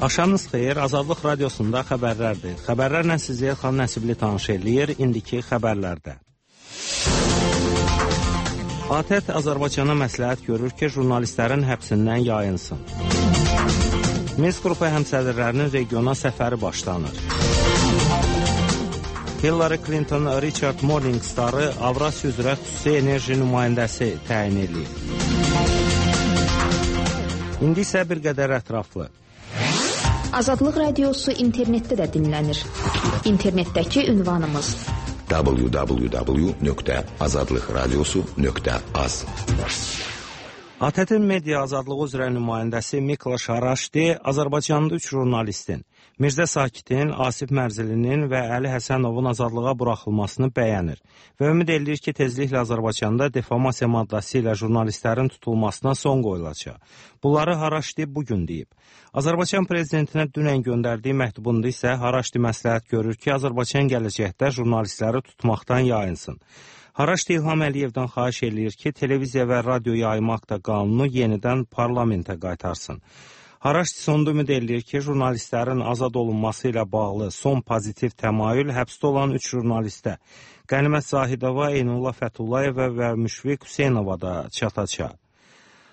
Axşamınız xeyir, Azadlıq Radiosunda xəbərlərdir. Xəbərlərlə sizi Elxan Nəsibli tanış eləyir, indiki xəbərlərdə. ATƏT Azərbaycana məsləhət görür ki, jurnalistlərin həbsindən yayınsın. Minsk qrupu həmsədrlərinin regiona səfəri başlanır. Hillary Clinton Richard Morningstar'ı Avrasiya üzrə xüsusi enerji nümayəndəsi təyin edilib. İndi isə bir qədər ətraflı. Azadlıq Radiosu internetdə də dinlənir. İnternetdəki ünvanımız www.azadlıqradiosu.az. ATƏT-in media azadlığı üzrə nümayəndəsi Mikloş Haraşdi Azərbaycanda 3 jurnalistin, Mirzə Sakitin, Asif Mərzilinin və Əli Həsənovun azadlığa buraxılmasını bəyənir və ümid edir ki, tezliklə Azərbaycanda defamasiya maddəsi ilə jurnalistlərin tutulmasına son qoyulacaq. Bunları Haraşdi bugün deyib. Azərbaycan prezidentinə dünən göndərdiyi məktubunda isə Haraşdi məsləhət görür ki, Azərbaycan gələcəkdə jurnalistləri tutmaqdan yayınsın. Haraşdi İlham Əliyevdən xahiş eləyir ki, televiziya və radio yayma akta qanunu yenidən parlamentə qaytarsın. Haraşdi sonda ümid eləyir ki, jurnalistlərin azad olunması ilə bağlı son pozitiv təmayül həbsdə olan 3 jurnalistə, Qənimət Zahidova, Eynullah Fəthullayeva və Müşfiq Hüseynova da çatacaq.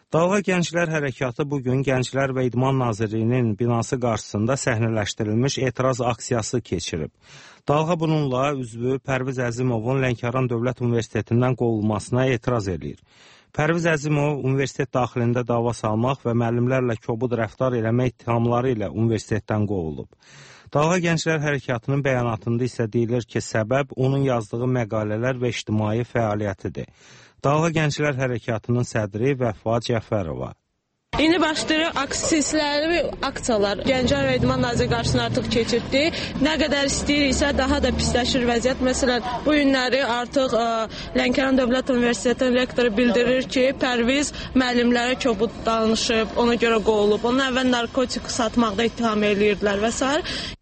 Dalğa Gənclər Hərəkatı bugün Gənclər və İdman Nazirliyinin binası qarşısında səhnələşdirilmiş etiraz aksiyası keçirib. Dalğa bununla üzvü Pərviz Əzimovun Lənkəran Dövlət Universitetindən qovulmasına etiraz edir. Pərviz Əzimov universitet daxilində dava salmaq və müəllimlərlə kobud rəftar eləmək ittihamları ilə universitetdən qovulub. Dalğa Gənclər Hərəkatının bəyanatında isə deyilir ki, səbəb onun yazdığı məqalələr və ictimai fəaliyyətidir. Dalğa Gənclər Hərəkatının sədri Vəfa Cəfərova. İndi başlayırıq silsiləli aksiyalar. Gənclər və İdman Naziri qarşısına artıq keçirdi. Nə qədər istəyiriksə daha da pisləşir vəziyyət. Məsələn, bu günləri artıq Lənkəran Dövlət Universitetinin rektoru bildirir ki, Pərviz müəllimlərə kobud danışıb, ona görə qovulub. Onun əvvəl narkotik satmaqda ittiham eləyirdilər və s.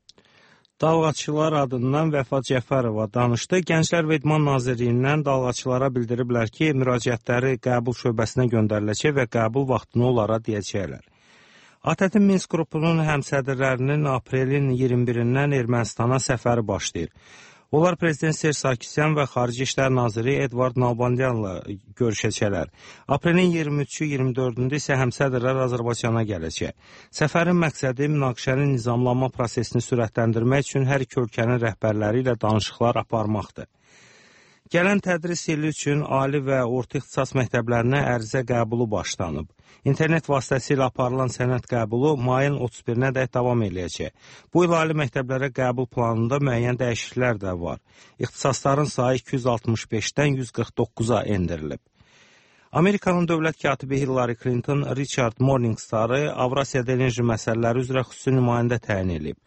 Dalğaçılar adından Vəfa Cəfərova danışdı. Gənclər və İdman Nazirliyindən dalğaçılara bildiriblər ki, müraciətləri qəbul şöbəsinə göndəriləcək və qəbul vaxtını onlara deyəcəklər. ATƏT-in Minsk qrupunun həmsədrlərinin aprelin 21-dən Ermənistana səfəri başlayır. Onlar Prezident Serj Sarkisyan və Xarici İşlər Naziri Edvard Nalbandyanla görüşəcəklər. Aprelin 23-24-də isə həmsədrlər Azərbaycana gələcək. Səfərin məqsədi münaqişənin nizamlanma prosesini sürətləndirmək üçün hər iki ölkənin rəhbərləri ilə danışıqlar aparmaqdır. Gələn tədris ili üçün ali və orta ixtisas məktəblərinə ərizə qəbulu başlanıb. İnternet vasitəsilə aparılan sənəd qəbulu mayın 31-nədək davam eləyəcək. Bu il ali məktəblərə qəbul planında müəyyən dəyişikliklər də var. İxtisasların sayı 265-dən 149-a endirilib. Amerikanın dövlət katibi Hillary Clinton Richard Morningstar'ı Avrasiyada enerji məsələləri üzrə xüsusi nümayəndə təyin edib.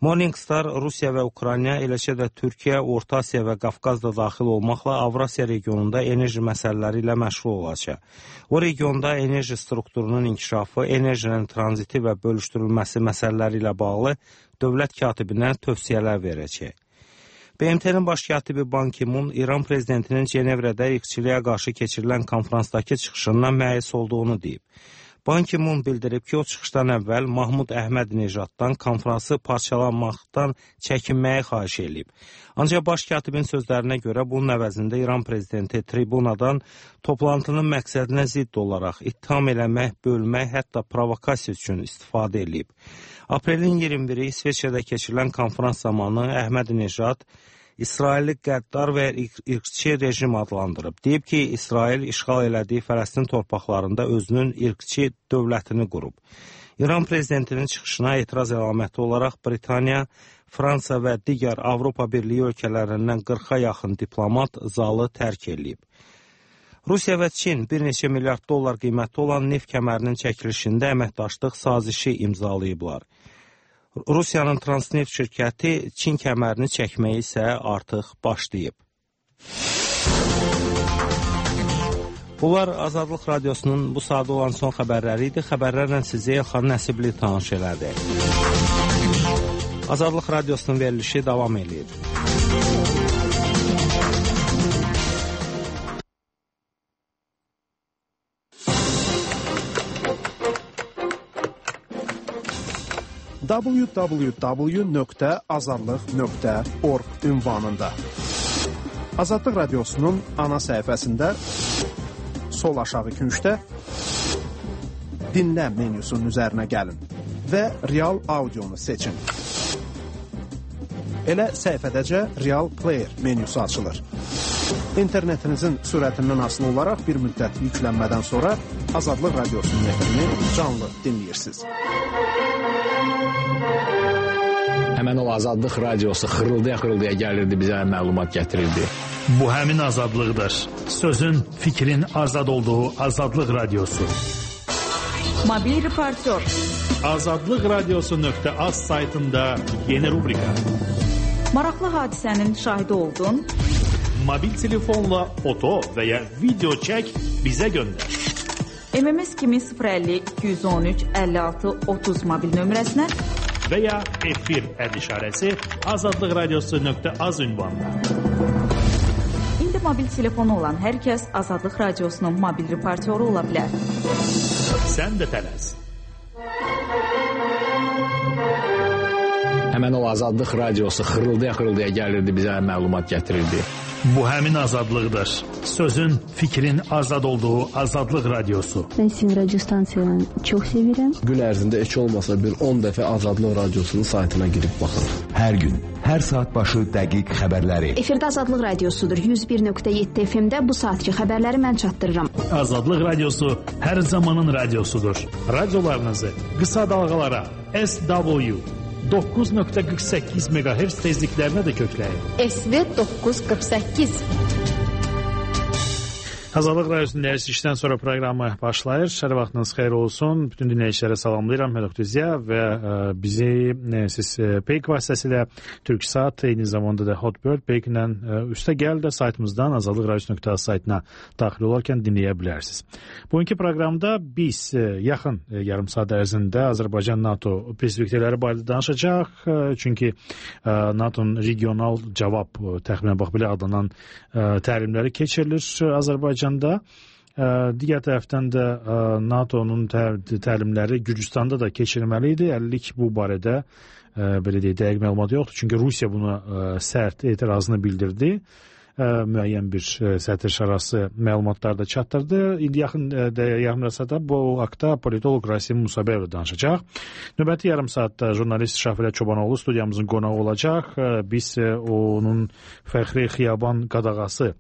Morningstar Rusiya və Ukrayna, eləcə də Türkiyə, Orta Asiya və Qafqaz da daxil olmaqla Avrasiya regionunda enerji məsələləri ilə məşğul olacaq. O regionda enerji strukturunun inkişafı, enerjinin tranziti və bölüşdürülməsi məsələləri ilə bağlı dövlət katibinə tövsiyələr verəcək. BMT-nin baş katibi Ban Ki-mun İran prezidentinin Cenevrədə irqçiliyə qarşı keçirilən konferansdakı çıxışından məyus olduğunu deyib. Ban Ki-mun bildirib ki, o çıxışdan əvvəl Mahmud Əhməd-Nejaddan konfransı parçalanmaqdan çəkinməyi xahiş edib. Ancaq baş katibin sözlərinə görə bunun əvəzində İran prezidenti tribunadan toplantının məqsədinə zidd olaraq ittiham eləmək, bölmək, hətta provokasiya üçün istifadə edib. Aprelin 21-i İsveçrədə keçirilən konferans zamanı Əhməd-Nejad İsraili qəddar və irqçi rejim adlandırıb. Deyib ki, İsrail işğal elədiyi Fələstin torpaqlarında özünün irqçi dövlətini qurub. İran prezidentinin çıxışına etiraz əlaməti olaraq Britaniya, Fransa və digər Avropa Birliyi ölkələrindən 40-a yaxın diplomat zalı tərk edib. Rusiya və Çin bir neçə milyard dollar qiymətli olan neft kəmərinin çəkilişində əməkdaşlıq sazişi imzalayıblar. Rusiyanın Transneft şirkəti Çin kəmərini çəkməyi isə artıq başlayıb. Bunlar Azadlıq Radiosunun bu saatda olan son xəbərləri idi. Xəbərlərlə sizi Elxan Nəsibli tanış elədi. Azadlıq Radiosunun verilişi davam edir. www.azadlıq.org ünvanında. Azadlıq Radiosunun ana səhifəsində sol aşağı küncdə dinlə menyusunun üzərinə gəlin və real audionu seçin. Elə səhifədəcə Real Player menyusu açılır. İnternetinizin sürətindən asılı olaraq bir müddət yüklənmədən sonra Azadlıq Radiosunun efrini canlı dinləyirsiniz. Həmən o Azadlıq Radiosu xırıldaya gəlirdi, bizə məlumat gətirirdi. Bu həmin azadlıqdır. Sözün, fikrin azad olduğu Azadlıq Radiosu. Mobil reportör. Azadlıqradiosu.az saytında yeni rubrika. Maraqlı hadisənin şahidi oldun. Mobil telefonla foto və ya video çək, bizə göndər. MMS kimi 050 213 56 30 mobil nömrəsinə və ya efir işarəsi azadlıqradiosu.az ünvanına. İndi mobil telefonu olan hər kəs Azadlıq Radiosunun mobil reportyoru ola bilər. Sən də tələs. Həmən o Azadlıq Radiosu xırıldaya gəlirdi, bizə məlumat gətirirdi. Bu həmin azadlıqdır. Sözün, fikrin azad olduğu Azadlıq Radiosu. Ben sizin radyo stansiyalarını çok severim. Gün ərzində heç olmasa bir 10 dəfə Azadlıq Radiosunun saytına girib baxır. Hər gün, hər saat başı dəqiq xəbərləri. Efirdə Azadlıq Radiosudur. 101.7 FM-də bu saatki xəbərləri mən çatdırıram. Azadlıq Radiosu hər zamanın radiosudur. Radiolarınızı qısa dalğalara SW 9.48 MHz tezliklərinə də kökləyin. SV 948. Azadlıq Radiosunun dəyərli işdən sonra proqramı başlayır. Hər vaxtınız xeyir olsun. Bütün dinləyicilərə salamlayıram. Mən Oktuzya və bizi siz Peyk vasitəsilə Türksat, eyni zamanda da Hotbird Peyk-lə üstə gəl də saytımızdan azadlıqradiosu.az saytına daxil olarkən dinləyə bilərsiniz. Bugünkü proqramda biz yaxın yarım saat ərzində Azərbaycan-NATO perspektivləri barədə danışacaq. Çünki NATO'nun regional cavab təxminən bax belə adlanan təlimləri keçirilir Azərbaycan. Digər tərəfdən də NATO'nun təlimləri Gürcüstanda da keçirilməli idi. Əllik bu barədə belə deyək, dəqiq məlumat yoxdur. Çünki Rusiya buna sərt etirazını bildirdi. Müəyyən bir sətr-şarası məlumatlar da çatdırdı. İndi yaxın yarım saatda bu haqda politolog Rasim Musabəyevlə danışacaq. Növbəti yarım saatda jurnalist Şafilə Çobanoğlu studiyamızın qonağı olacaq. Biz onun Fəxri Xiyaban qadağası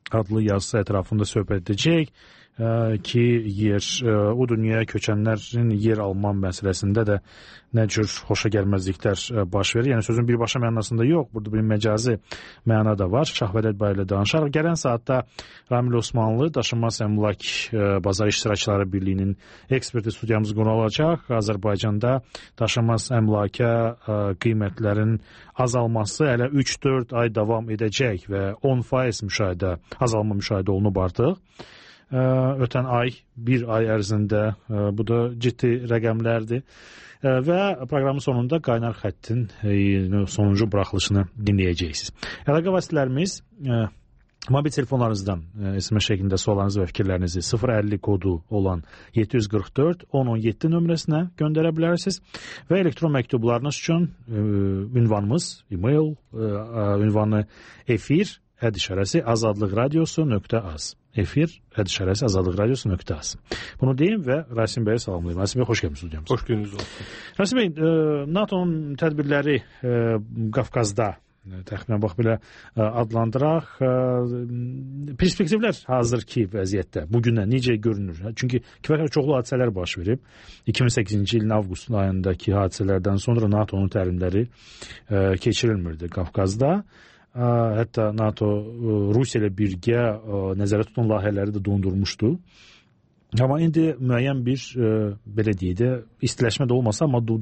adlı yazısı ətrafında söhbət edəcək ki, o dünyaya köçənlərin yer alma məsələsində də nə cür xoşa gəlməzliklər baş verir. Yəni sözün birbaşa mənasında yox, burada bir məcazi məna da var. Şahvələt barədə danışarıq. Gələn saatda Ramil Osmanlı, Daşınmaz Əmlak Bazar İştirakçıları Birliyinin eksperti studiyamız qonu olacaq. Azərbaycanda daşınmaz əmlaka qiymətlərin azalması hələ 3-4 ay davam edəcək və 10% azalma müşahidə olunub artıq. Ötən ay, bir ay ərzində bu da ciddi rəqəmlərdir və proqramın sonunda qaynar xəttin sonuncu buraxılışını dinləyəcəksiniz. Əlaqə vasitələrimiz mobil telefonlarınızdan SMS şəklində suallarınızı və fikirlərinizi 050 kodu olan 744-1017 nömrəsinə göndərə bilərsiniz və elektron məktublarınız üçün ünvanımız, e-mail ünvanı efir ədişarəsi azadlıqradiosu.az. Efir ədişarəsi azadlıqradiosu.az. Bunu deyim və Rasim bəyə salamlayım. Rasim bəy, xoş gəlmişsiniz studiyamıza. Xoş gününüz olsun. Rasim bəy, NATO'nun tədbirləri Qafqazda təxminən bax belə adlandıraq. Perspektivlər hazırki vəziyyətdə bugünə necə görünür? Çünki kifayət çoxlu hadisələr baş verib. 2008-ci ilin avqust ayındakı hadisələrdən sonra NATO'nun təlimləri keçirilmirdi Qafqazda. Hətta NATO Rusiya ilə birgə nəzərdə tutulan layihələri də dondurmuşdu. Amma indi müəyyən bir, belə deyək də, istiləşmə də olmasa, amma bu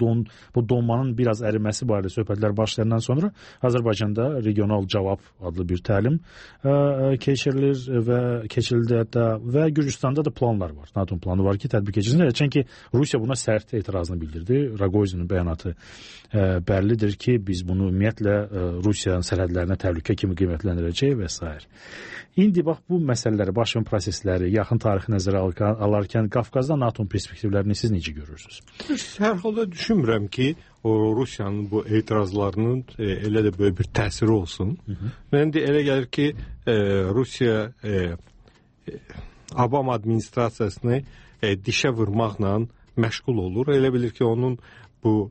donmanın biraz əriməsi barədə söhbətlər başlayandan sonra Azərbaycanda regional cavab adlı bir təlim keçirildi hətta və Gürcüstanda da planlar var. NATO planı var ki, tədbir keçirilsin. Çünki Rusiya buna sərt etirazını bildirdi. Raqoyzinin bəyanatı bəllidir ki, biz bunu ümumiyyətlə Rusiyanın sərhədlərinə təhlükə kimi qiymətləndirəcək və s. İndi bax bu məsələləri, baş verən prosesləri, yaxın tarixi nəzərə alarkən Qafqazda NATO-nun perspektivlərini siz necə görürsünüz? Hər halda düşünmürəm ki, o Rusiyanın bu etirazlarının elə də böyük bir təsiri olsun. Mən də elə gəlir ki, Rusiya Obama administrasiyasını dişə vurmaqla məşğul olur. Elə bilir ki, onun bu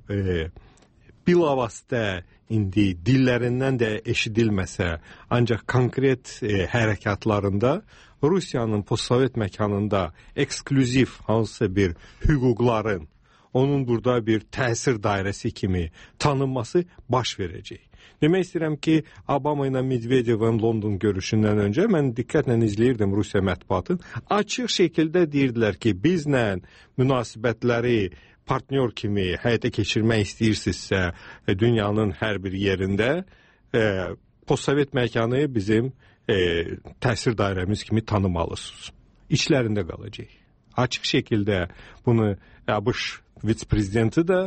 bilavasitə indi dillərindən də eşidilməsə, ancaq konkret hərəkatlarında Rusiyanın postsovet məkanında eksklüziv hansısa bir hüquqların onun burada bir təsir dairəsi kimi tanınması baş verəcək. Demək istəyirəm ki, Obama ilə Medvedevin London görüşündən öncə mən diqqətlə izləyirdim Rusiya mətbuatını. Açıq şəkildə deyirdilər ki, bizlə münasibətləri partnyor kimi həyata keçirmək istəyirsinizsə dünyanın hər bir yerində postsovet məkanı bizim təsir dairəmiz kimi tanımalısınız. İçlərində qalacaq. Açıq şəkildə bunu ABŞ vitse-prezidenti də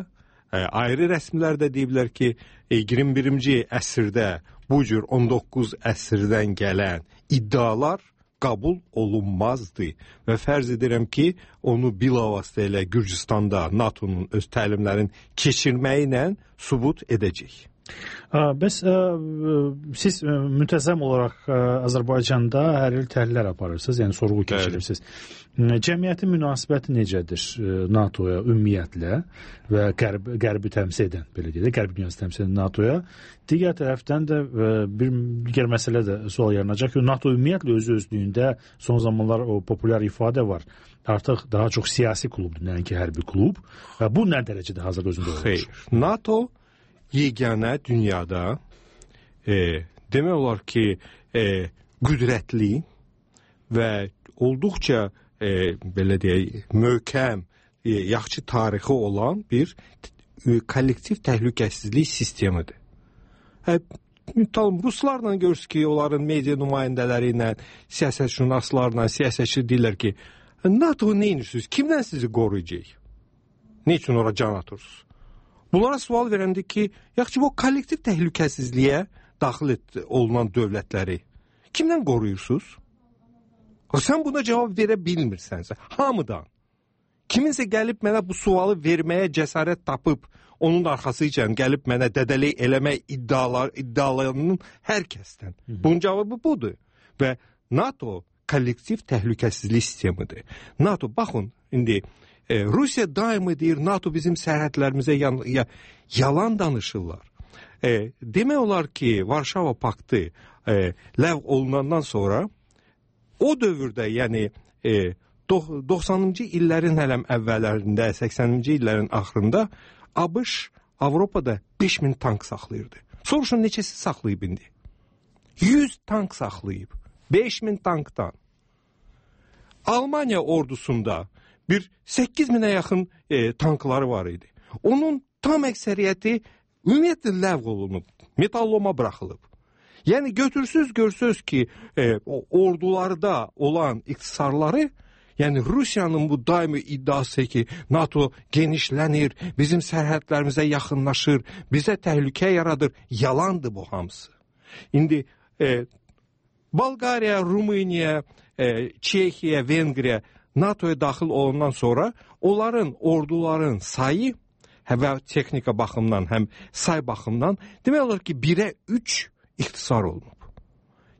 ayrı rəsmlərdə deyiblər ki, 21-ci əsrdə bu cür 19 əsrdən gələn iddialar qəbul olunmazdı və fərz edirəm ki, onu bilavasitə ilə Gürcüstanda NATO-nun öz təlimlərini keçirməyi ilə sübut edəcək. Bəs siz müntəzəm olaraq Azərbaycanda hər il təhlillər aparırsınız, yəni sorğu keçirirsiniz. Cəmiyyətin münasibəti necədir NATO-ya ümumiyyətlə və qərbi təmsil edən, belə deyək, qərbi dünyası təmsil edən NATO-ya? Digər tərəfdən də bir digər məsələ də sual yaranacaq ki, NATO ümumiyyətlə özü-özlüyündə son zamanlar o populyar ifadə var. Artıq daha çox siyasi klubdur, nəinki hərbi klub. Və bu nə dərəcədə hazırda özündə olur? Xeyr. NATO yeganə dünyada demək olar ki, qüdrətli və olduqca belə deyək, möhkəm, yaxşı tarixi olan bir kollektiv təhlükəsizlik sistemidir. Ruslarla görürüz ki, onların media nümayəndələri ilə, siyasətşünaslarla, siyasətçi deyirlər ki, NATO nə edirsiniz, kimdən sizi qoruyacaq? Ne üçün ora can atırsınız? Bunlara sual verəndə ki, yaxşı bu kollektiv təhlükəsizliyə daxil olunan dövlətləri kimdən qoruyursunuz? Sən buna cavab verə bilmirsənsə, hamıdan. Kiminsə gəlib mənə bu sualı verməyə cəsarət tapıb, onun arxasıca gəlib mənə dədəlik eləmək iddialarının hər kəsdən. Bunun cavabı budur. Və NATO kollektiv təhlükəsizlik sistemidir. NATO, baxın, indi Rusiya daimi deyir, NATO bizim sərhədlərimizə yalan danışırlar. Demək olar ki, Varşava paktı ləğv olunandan sonra o dövrdə, yəni 90-cı illərin hələm əvvəllərində, 80-ci illərin axırında ABŞ Avropada 5000 tank saxlayırdı. Soruşun neçəsi saxlayıb indi? 100 tank saxlayıb. 5000 tankdan. Almaniya ordusunda bir 8000'e yaxın tankları var idi. Onun tam əksəriyyəti ümumiyyətlə ləğv olunub, metalloma buraxılıb. Yəni görsünüz ki, ordularda olan iqtisarları, yəni Rusiyanın bu daimi iddiası ki, NATO genişlənir, bizim sərhədlərimizə yaxınlaşır, bizə təhlükə yaradır, yalandır bu hamısı. İndi Bolqariya, Rumıniya, Çexiya, Vengriya NATO'ya daxil olandan sonra onların orduların sayı və texnika baxımdan, həm say baxımdan demək olar ki, 1'ə 3 ixtisar olunub.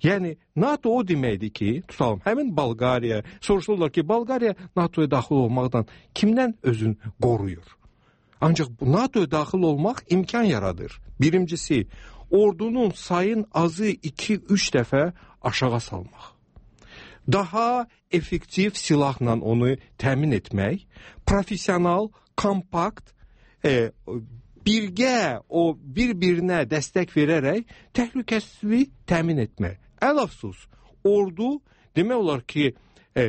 Yəni NATO o deməkdir ki, tutalım, həmin Bolqariya, soruşurlar ki, Bolqariya NATO'ya daxil olmaqdan kimdən özünü qoruyur? Ancaq NATO'ya daxil olmaq imkan yaradır. Birincisi, ordunun sayın azı 2-3 dəfə aşağı salmaq. Daha effektiv silahla onu təmin etmək, profesional, kompakt, birgə o bir-birinə dəstək verərək təhlükəsizliyi təmin etmək. Əl-əfsus, ordu demək olar ki,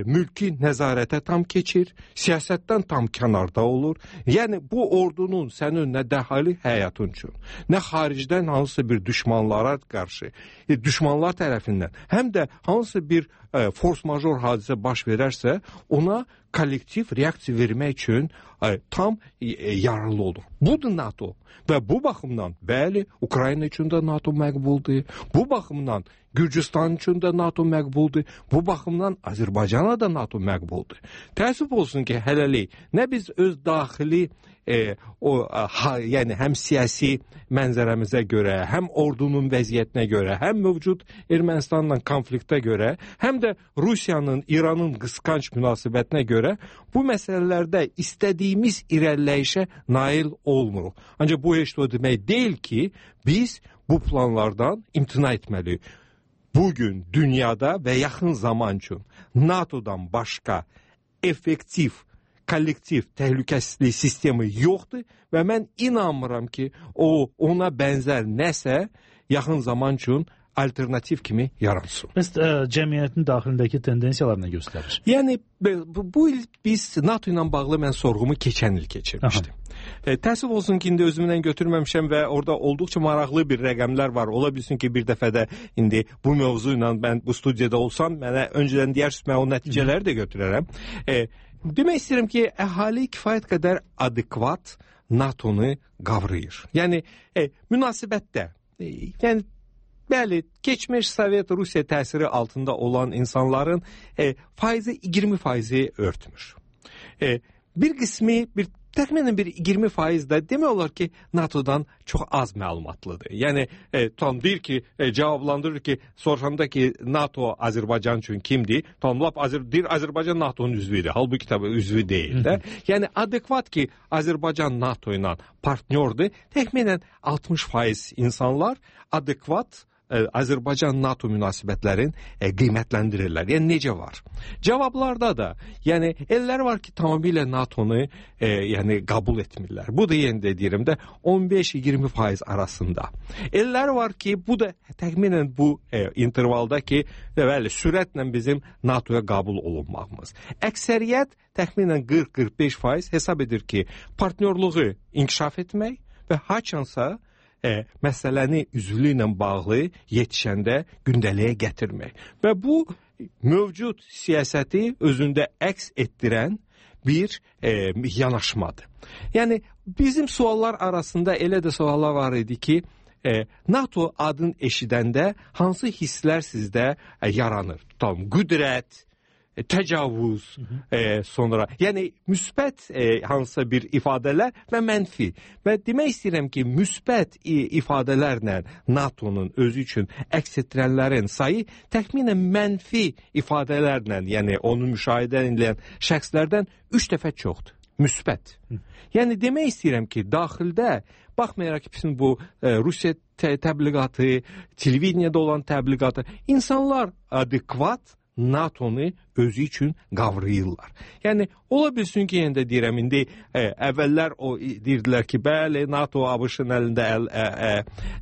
mülki nəzarətə tam keçir, siyasətdən tam kənarda olur. Yəni bu ordunun sənin nə dəxali həyatın üçün, nə xaricdən hansısa bir düşmanlara qarşı, düşmanlar tərəfindən, həm də hansısa bir force major hadisə baş verərsə, ona kollektiv reaksiya vermək üçün tam yararlı olur. Budur NATO. Və bu baxımdan, bəli, Ukrayna üçün də NATO məqbuldur. Bu baxımdan Gürcüstan üçün də NATO məqbuldur. Bu baxımdan Azərbaycana da NATO məqbuldur. Təəssüf olsun ki, hələlik nə biz öz daxili yəni həm siyasi mənzərəmizə görə, həm ordunun vəziyyətinə görə, həm mövcud Ermənistanla konfliktə görə, həm də Rusiyanın, İranın qısqanc münasibətinə görə bu məsələlərdə istədiyimiz irəliləyişə nail olmuruq. Ancaq bu heç o demək deyil ki, biz bu planlardan imtina etməliyik. Bugün dünyada və yaxın zaman üçün NATO'dan başqa effektiv kollektiv təhlükəsizlik sistemi yoxdur və mən inanmıram ki, ona bənzər nəsə yaxın zaman üçün alternativ kimi yaransın. Məsələn, cəmiyyətin daxilindəki tendensiyalar nə göstərir? Yəni, bu il biz NATO ilə bağlı mən sorğumu keçən il keçirmişdim. Təəssüf olsun ki, indi özümlə götürməmişəm və orada olduqca maraqlı bir rəqəmlər var. Ola bilsin ki, bir dəfə də indi bu mövzu ilə mən bu studiyada olsam, mənə öncədən deyərsiniz, mən o nəticələri də götürərəm. Demək istəyirəm ki, əhali kifayət qədər adekvat NATO-nu qavrayır. Yəni, münasibətdə, yəni, bəli, keçmiş Sovet Rusiya təsiri altında olan insanların faizi 20% örtmür. Bir qismi, təxminən bir 20% də demək olar ki, NATO'dan çox az məlumatlıdır. Yəni, tam deyir ki, cavablandırır ki, soruşanda ki, NATO Azərbaycan üçün kimdir? Tam lap deyir, Azərbaycan NATO'nun üzvüdür. Halbuki tabii üzvü deyil də. Yəni, adekvat ki, Azərbaycan NATO ilə partnyordur. Təxminən 60% insanlar adekvat Azərbaycan-NATO münasibətlərin qiymətləndirirlər. Yəni, necə var? Cavablarda da, yəni, ellər var ki, tamamilə NATO-nu yəni, qəbul etmirlər. Bu da, yenə də deyirəm də, 15-20% arasında. Ellər var ki, bu da təxminən bu intervalda ki, bəli, sürətlə bizim NATO-ya qəbul olunmağımız. Əksəriyyət təxminən 40-45% hesab edir ki, partnyorluğu inkişaf etmək və haçansa məsələni üzvlüyü ilə bağlı yetişəndə gündəliyə gətirmək. Və bu, mövcud siyasəti özündə əks etdirən bir yanaşmadır. Yəni, bizim suallar arasında elə də suallar var idi ki, NATO adını eşidəndə hansı hisslər sizdə yaranır? Tutalım, qüdrət, təcavüz, sonra, yəni müsbət hansısa bir ifadələr və mənfi. Və demək istəyirəm ki, müsbət ifadələrlə NATO'nun özü üçün əks etdirənlərin sayı təxminən mənfi ifadələrlə, yəni onu müşahidə edən şəxslərdən 3 dəfə çoxdur. Müsbət. Yəni demək istəyirəm ki, daxildə baxmayaraq ki, bizim bu Rusiya təbliğatı, televideniyada olan təbliğatı, insanlar adekvat NATO'nu özü üçün qavrayırlar. Yəni, ola bilsin ki, yenə də deyirəm, indi əvvəllər deyirdilər ki, bəli, NATO ABŞ-ın əlində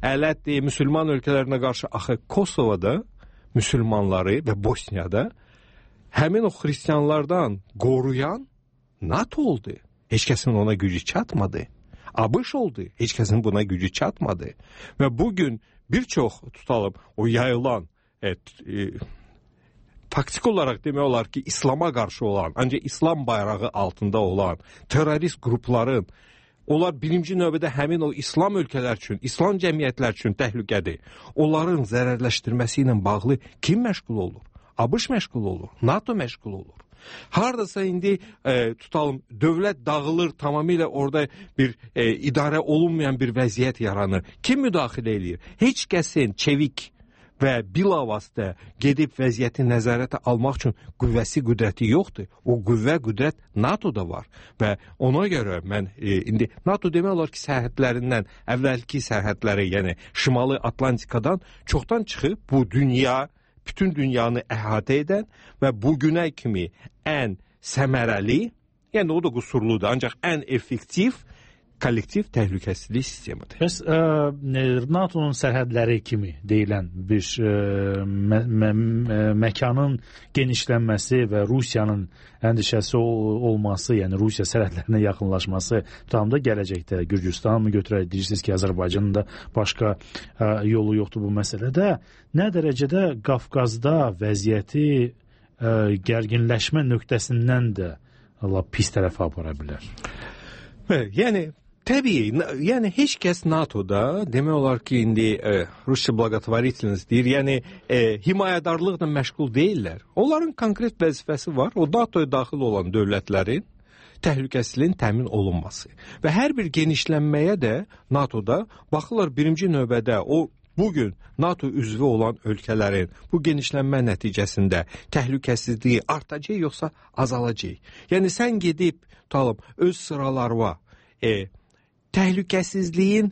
ələtdir, müsəlman ölkələrinə qarşı, axı Kosovada müsəlmanları və Bosniyada həmin o xristiyanlardan qoruyan NATO oldu. Heç kəsin ona gücü çatmadı. ABŞ oldu. Heç kəsin buna gücü çatmadı. Və bugün bir çox, tutalım, o yayılan faktik olaraq demək olar ki, İslama qarşı olan, ancaq İslam bayrağı altında olan terrorist qrupların, onlar birinci növbədə həmin o İslam ölkələr üçün, İslam cəmiyyətlər üçün təhlükədir. Onların zərərləşdirməsi ilə bağlı kim məşğul olur? ABŞ məşğul olur, NATO məşğul olur. Hardasa indi tutalım, dövlət dağılır, tamamilə orada bir idarə olunmayan bir vəziyyət yaranır. Kim müdaxilə edir? Heç kəsin çevik və bilavasitə gedib vəziyyəti nəzarətə almaq üçün qüvvəsi, qüdrəti yoxdur. O qüvvə, qüdrət NATO-da var. Və ona görə mən indi NATO demək olar ki, sərhədlərindən, əvvəlki sərhədləri, yəni Şimali Atlantikadan çoxdan çıxıb bu dünya, bütün dünyanı əhatə edən və bugünə kimi ən səmərəli, yəni o da qüsurludur, ancaq ən effektiv kollektiv təhlükəsizlik sistemidir. Bəs NATO-nun sərhədləri kimi deyilən bir məkanın genişlənməsi və Rusiyanın əndişəsi olması, yəni Rusiya sərhədlərinə yaxınlaşması tutamda gələcəkdə Gürcüstan mı götürək, deyirsiniz ki, Azərbaycanın da başqa yolu yoxdur bu məsələdə. Nə dərəcədə Qafqazda vəziyyəti gərginləşmə nöqtəsindən də pis tərəfə apara bilər? Yəni təbii, yəni heç kəs NATO'da demək olar ki, indi Rusya благотворительность deyir, yəni himayədarlıqla məşğul deyirlər. Onların konkret vəzifəsi var. O NATO'ya daxil olan dövlətlərin təhlükəsizliyin təmin olunması. Və hər bir genişlənməyə də NATO'da baxırlar birinci növbədə o bugün NATO üzvü olan ölkələrin bu genişlənmə nəticəsində təhlükəsizliyi artacaq yoxsa azalacaq. Yəni sən gedib öz sıralarına təhlükəsizliyin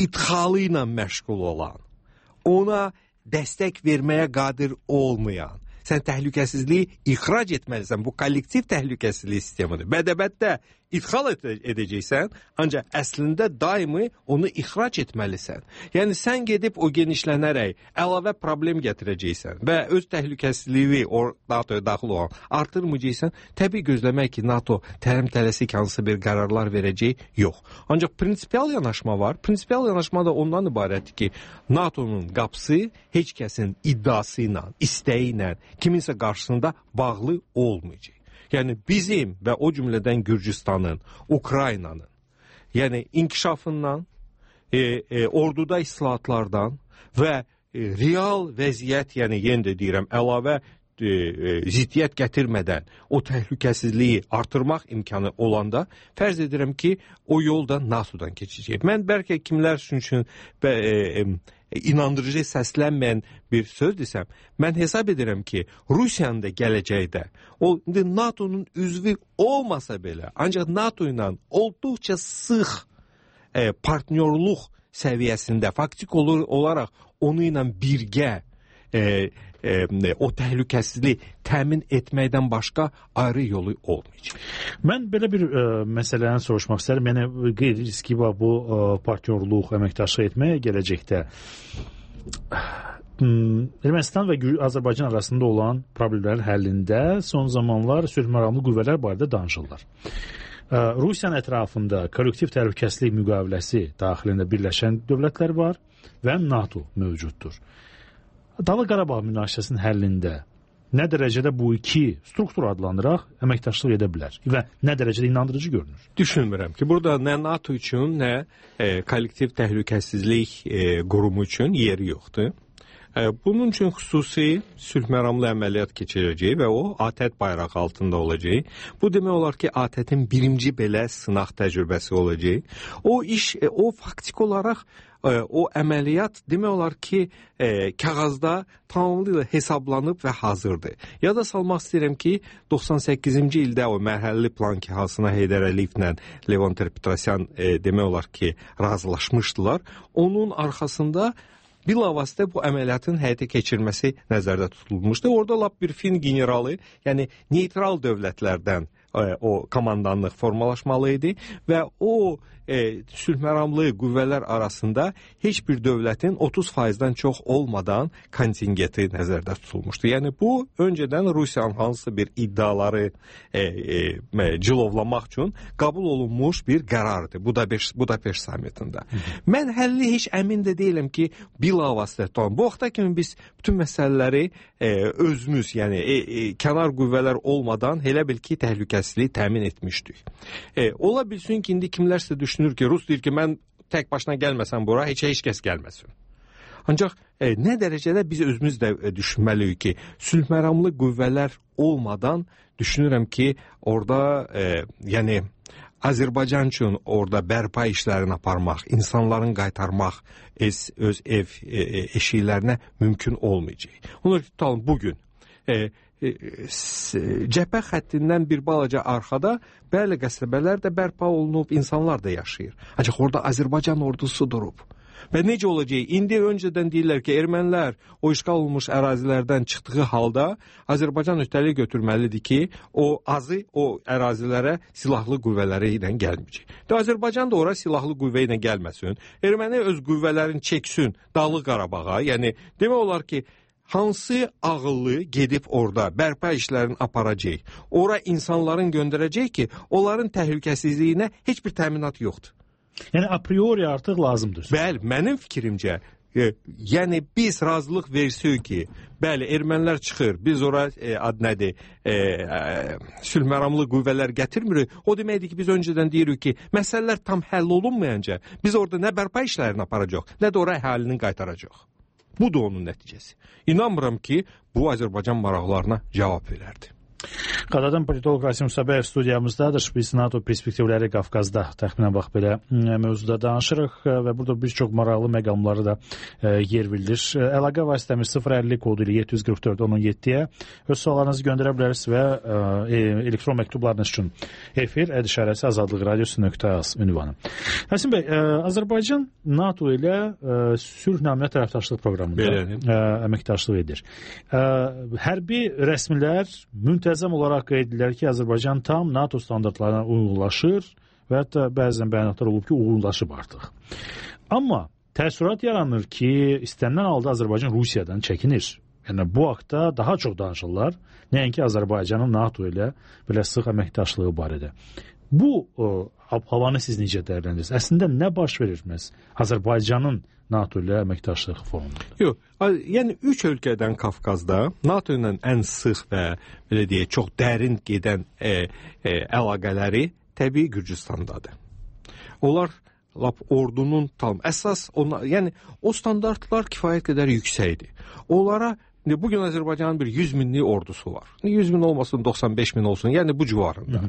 idxalı ilə məşğul olan, ona dəstək verməyə qadir olmayan, sən təhlükəsizliyi ixrac etməlisən. Bu kollektiv təhlükəsizlik sistemidir. Bədəbətdə idxal edəcəksən, ancaq əslində daimi onu ixrac etməlisən. Yəni sən gedib o genişlənərək əlavə problem gətirəcəksən və öz təhlükəsizliyi NATO'ya daxil olan artırmayacaqsan, təbii gözləmək ki, NATO tələm-tələsik hansı bir qərarlar verəcək, yox. Ancaq prinsipial yanaşma var. Prinsipial yanaşma da ondan ibarətdir ki, NATO'nun qapısı heç kəsin iddiası ilə, istəyi ilə kiminsə qarşısında bağlı olmayacaq. Yəni bizim və o cümlədən Gürcüstanın, Ukraynanın, yəni inkişafından, orduda islahatlardan və real vəziyyət, yəni yenə də deyirəm, əlavə ziddiyyət gətirmədən o təhlükəsizliyi artırmaq imkanı olanda fərz edirəm ki, o yolda NATO-dan keçəcək. Mən bəlkə kimlər üçün inandırıcı səslənməyən bir söz desəm, mən hesab edirəm ki, Rusiyanın da gələcəkdə o NATO'nun üzvü olmasa belə, ancaq NATO ilə olduqca sıx partnyorluq səviyyəsində faktik olaraq onu ilə birgə o təhlükəsizliyi təmin etməkdən başqa ayrı yolu olmayacaq. Mən belə bir məsələni soruşmaq istərəm. Yəni qeyri-riski var bu partnyorluq, əməkdaşlıq etməyə gələcəkdə. Ermənistan və Azərbaycan arasında olan problemlərin həllində son zamanlar sülh məramlı qüvvələr barədə danışırlar. Rusiyanın ətrafında kollektiv təhlükəsizlik müqaviləsi daxilində birləşən dövlətlər var və NATO mövcuddur. Dağlıq Qarabağ münaqişəsinin həllində nə dərəcədə bu iki struktur adlanıraq əməkdaşlıq edə bilər və nə dərəcədə inandırıcı görünür? Düşünmürəm ki, burada nə NATO üçün, nə kollektiv təhlükəsizlik qurumu üçün yeri yoxdur. Bunun üçün xüsusi sülh məramlı əməliyyat keçirəcək və o ATƏT bayrağı altında olacaq. Bu demək olar ki, ATƏT-in birinci belə sınaq təcrübəsi olacaq. O faktik olaraq o əməliyyat demək olar ki, kağızda tamamilə hesablanıb və hazırdır. Yada salmaq istəyirəm ki, 98-ci ildə o mərhələli plan ki, Hasına Heydər Əliyevlə Levon Ter-Petrosyan demək olar ki, razılaşmışdılar. Onun arxasında bilavasitə bu əməliyyatın həyata keçirməsi nəzərdə tutulmuşdu. Orada lap bir fin generalı, yəni neytral dövlətlərdən o komandanlıq formalaşmalı idi və o sülh məramlı qüvvələr arasında heç bir dövlətin 30%-dən çox olmadan kontingenti nəzərdə tutulmuşdu. Yəni bu öncədən Rusiyanın hansısa bir iddiaları cilovlamaq üçün qəbul olunmuş bir qərardır Budapeşt sammitində. Mən həlli heç əmin də deyiləm ki, bilavasitə tutalım. Bu vaxta kimi biz bütün məsələləri özümüz, yəni kənar qüvvələr olmadan elə bil ki, təhlükəsizliyi təmin etmişdik. Ola bilsin ki, indi kimlərsə düşünür ki, Rus deyir ki, mən tək başına gəlməsəm bura, heç kəs gəlməsin. Ancaq nə dərəcədə biz özümüz də düşünməliyik ki, sülh məramlı qüvvələr olmadan düşünürəm ki, orada yəni Azərbaycan üçün orada bərpa işlərini aparmaq, insanların qaytarmaq öz ev eşiklərinə mümkün olmayacaq. Onu tutalım bugün cəbhə xəttindən bir balaca arxada bəli qəsəbələr də bərpa olunub, insanlar da yaşayır. Ancaq orada Azərbaycan ordusu durub. Və necə olacaq? İndi öncədən deyirlər ki, ermənilər o işğal olunmuş ərazilərdən çıxdığı halda Azərbaycan öhdəlik götürməlidir ki, o ərazilərə silahlı qüvvələri ilə gəlməyəcək. Azərbaycan da ora silahlı qüvvə ilə gəlməsin. Erməni öz qüvvələrini çəksin Dağlıq Qarabağa. Yəni demək olar ki, hansı ağıllı gedib orada bərpa işlərini aparacaq, ora insanların göndərəcək ki, onların təhlükəsizliyinə heç bir təminat yoxdur. Yəni a priori artıq lazımdır. Bəli, mənim fikrimcə, yəni biz razılıq versək ki, bəli, ermənilər çıxır, biz ora sülh məramlı qüvvələr gətirmirik, o deməkdir ki, biz öncədən deyirik ki, məsələlər tam həll olunmayınca biz orada nə bərpa işlərini aparacaq, nə də ora əhalinin qaytaracaq. Bu da onun nəticəsi. İnanmıram ki, bu Azərbaycan maraqlarına cavab verərdi. Qadadan politolog Rasim Sabəyev studiyamızdadır. Biz NATO perspektivləri Qafqazda təxminən bax belə mövzuda danışırıq və burada bir çox maraqlı məqamları da yer verilir. Əlaqə vasitəmiz 050 kodu ilə 744-17-yə öz suallarınızı göndərə bilərsiniz və elektron məktublarınız üçün efir ədişarəsi azadlıqradiosu.az ünvanı. Rasim bəy, Azərbaycan NATO ilə sülh naminə tərəfdaşlıq proqramında əməkdaşlıq edir. Hərbi rəsmilər müntəzəm olaraq qeyd edirlər ki, Azərbaycan tam NATO standartlarına uyğunlaşır və hətta bəzən bəyanatlar olub ki, uyğunlaşıb artıq. Amma təəssürat yaranır ki, istənilən halda Azərbaycan Rusiyadan çəkinir. Yəni bu haqda daha çox danışırlar, nəinki Azərbaycanın NATO ilə belə sıx əməkdaşlığı barədə. Bu havanı siz necə dəyərləndirirsiniz? Əslində nə baş verir məhz Azərbaycanın NATO ilə əməkdaşlıq fonunda? Yox, yəni 3 ölkədən Qafqazda NATO ilə ən sıx və belə deyək, çox dərin gedən əlaqələri təbii Gürcüstandadır. Onlar lap ordunun tam əsas, yəni o standartlar kifayət qədər yüksəkdir. Onlara bugün Azərbaycanın bir 100 minlik ordusu var. 100 min olmasın, 95 min olsun. Yəni bu civarında.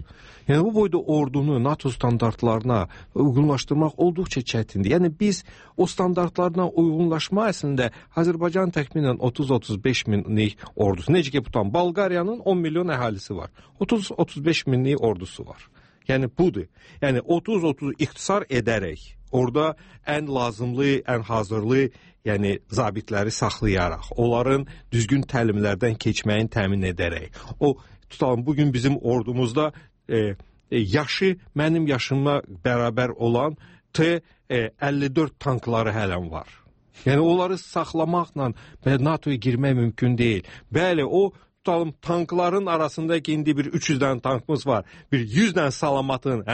Yəni bu boyda ordunu NATO standartlarına uyğunlaşdırmaq olduqca çətindir. Yəni biz o standartlarına uyğunlaşma əslində Azərbaycan təxminən 30-35 minlik ordusu. Necə ki, tutan Bolqariyanın 10 milyon əhalisi var. 30-35 minlik ordusu var. Yəni budur. Yəni 30-30 ixtisar edərək orada ən lazımlı, ən hazırlı, yəni zabitləri saxlayaraq, onların düzgün təlimlərdən keçməyini təmin edərək. O tutalım bugün bizim ordumuzda yaşı mənim yaşıma bərabər olan T-54 tankları hələn var. Yəni onları saxlamaqla NATOya girmək mümkün deyil. Bəli, o tutalım tankların arasında ki, indi bir 300 dənə tankımız var. Bir 100 dənə salamatın,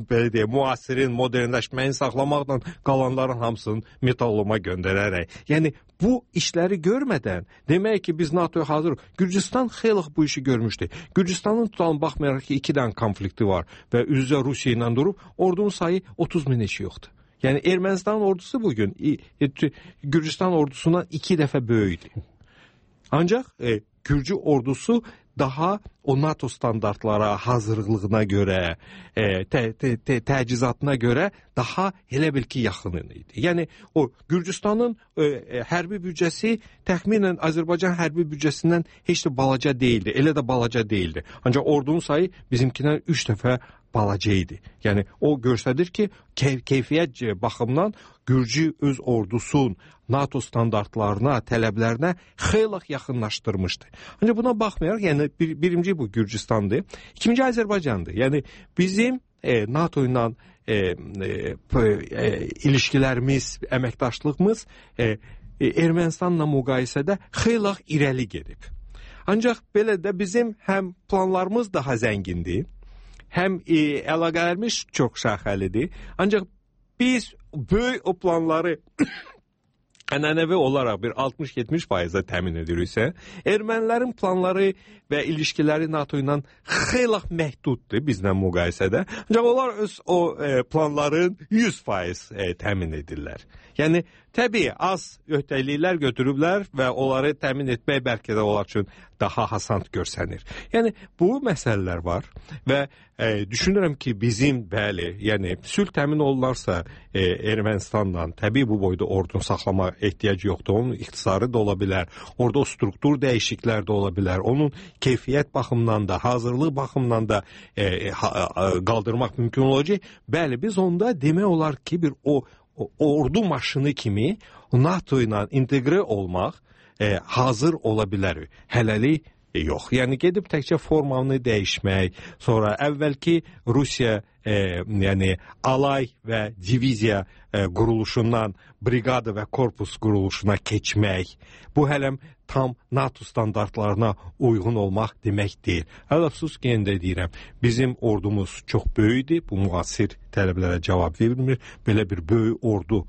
belə deyək, müasirin, modernləşməyin saxlamaqla qalanların hamısını metalloma göndərərək. Yəni bu işləri görmədən demək ki, biz NATOya hazırıq. Gürcüstan xeyli bu işi görmüşdü. Gürcüstanın tutalım baxmayaraq ki, 2 dənə konflikti var və üzrə Rusiya ilə durub, ordunun sayı 30 min heç yoxdur. Yəni Ermənistan ordusu bugün Gürcüstan ordusundan 2 dəfə böyükdür. Ancaq Gürcü ordusu daha o NATO standartlara, hazırlığına görə, təchizatına görə daha elə bil ki, yaxın idi. Yəni o Gürcüstanın hərbi büdcəsi təxminən Azərbaycan hərbi büdcəsindən heç də balaca deyildi. Elə də balaca deyildi. Ancaq ordunun sayı bizimkindən 3 dəfə balaca idi. Yəni o göstərir ki, keyfiyyət baxımından Gürcü öz ordusun NATO standartlarına, tələblərinə xeyli yaxınlaşdırmışdı. Ancaq buna baxmayaraq, yəni birinci bu Gürcüstandır, ikinci Azərbaycandır. Yəni bizim NATO ilə ilişkilərimiz, əməkdaşlığımız Ermənistanla müqayisədə xeyli irəli gedib. Ancaq belə də bizim həm planlarımız daha zəngindir, həm əlaqələrimiz çox şaxəlidir. Ancaq biz böyük o planları ənənəvi olaraq bir 60-70% təmin ediriksə, ermənilərin planları və ilişkiləri NATO ilə xeyli məhduddur bizlə müqayisədə. Ancaq onlar öz o planların 100% təmin edirlər. Yəni təbii az öhdəliklər götürüblər və onları təmin etmək bəlkə də onlar üçün daha hasant görsənir. Yəni bu məsələlər var və düşünürəm ki, bizim bəli, yəni sülh təmin olunarsa Ermənistanla təbii bu boyda ordunu saxlama ehtiyacı yoxdur. Onun ixtisarı da ola bilər, orada o struktur dəyişikliklər də ola bilər. Onun keyfiyyət baxımından da, hazırlıq baxımından da qaldırmaq mümkün olacaq. Bəli, biz onda demək olar ki, bir o ordu maşını kimi NATO ilə inteqrə olmaq hazır ola bilər. Hələlik yox. Yəni gedib təkcə formanı dəyişmək, sonra əvvəlki Rusiya yəni alay və diviziya quruluşundan briqada və korpus quruluşuna keçmək, bu hələm tam NATO standartlarına uyğun olmaq demək deyil. Əfsus ki, yenə də deyirəm, bizim ordumuz çox böyükdür, bu müasir tələblərə cavab vermir. Belə bir böyük ordu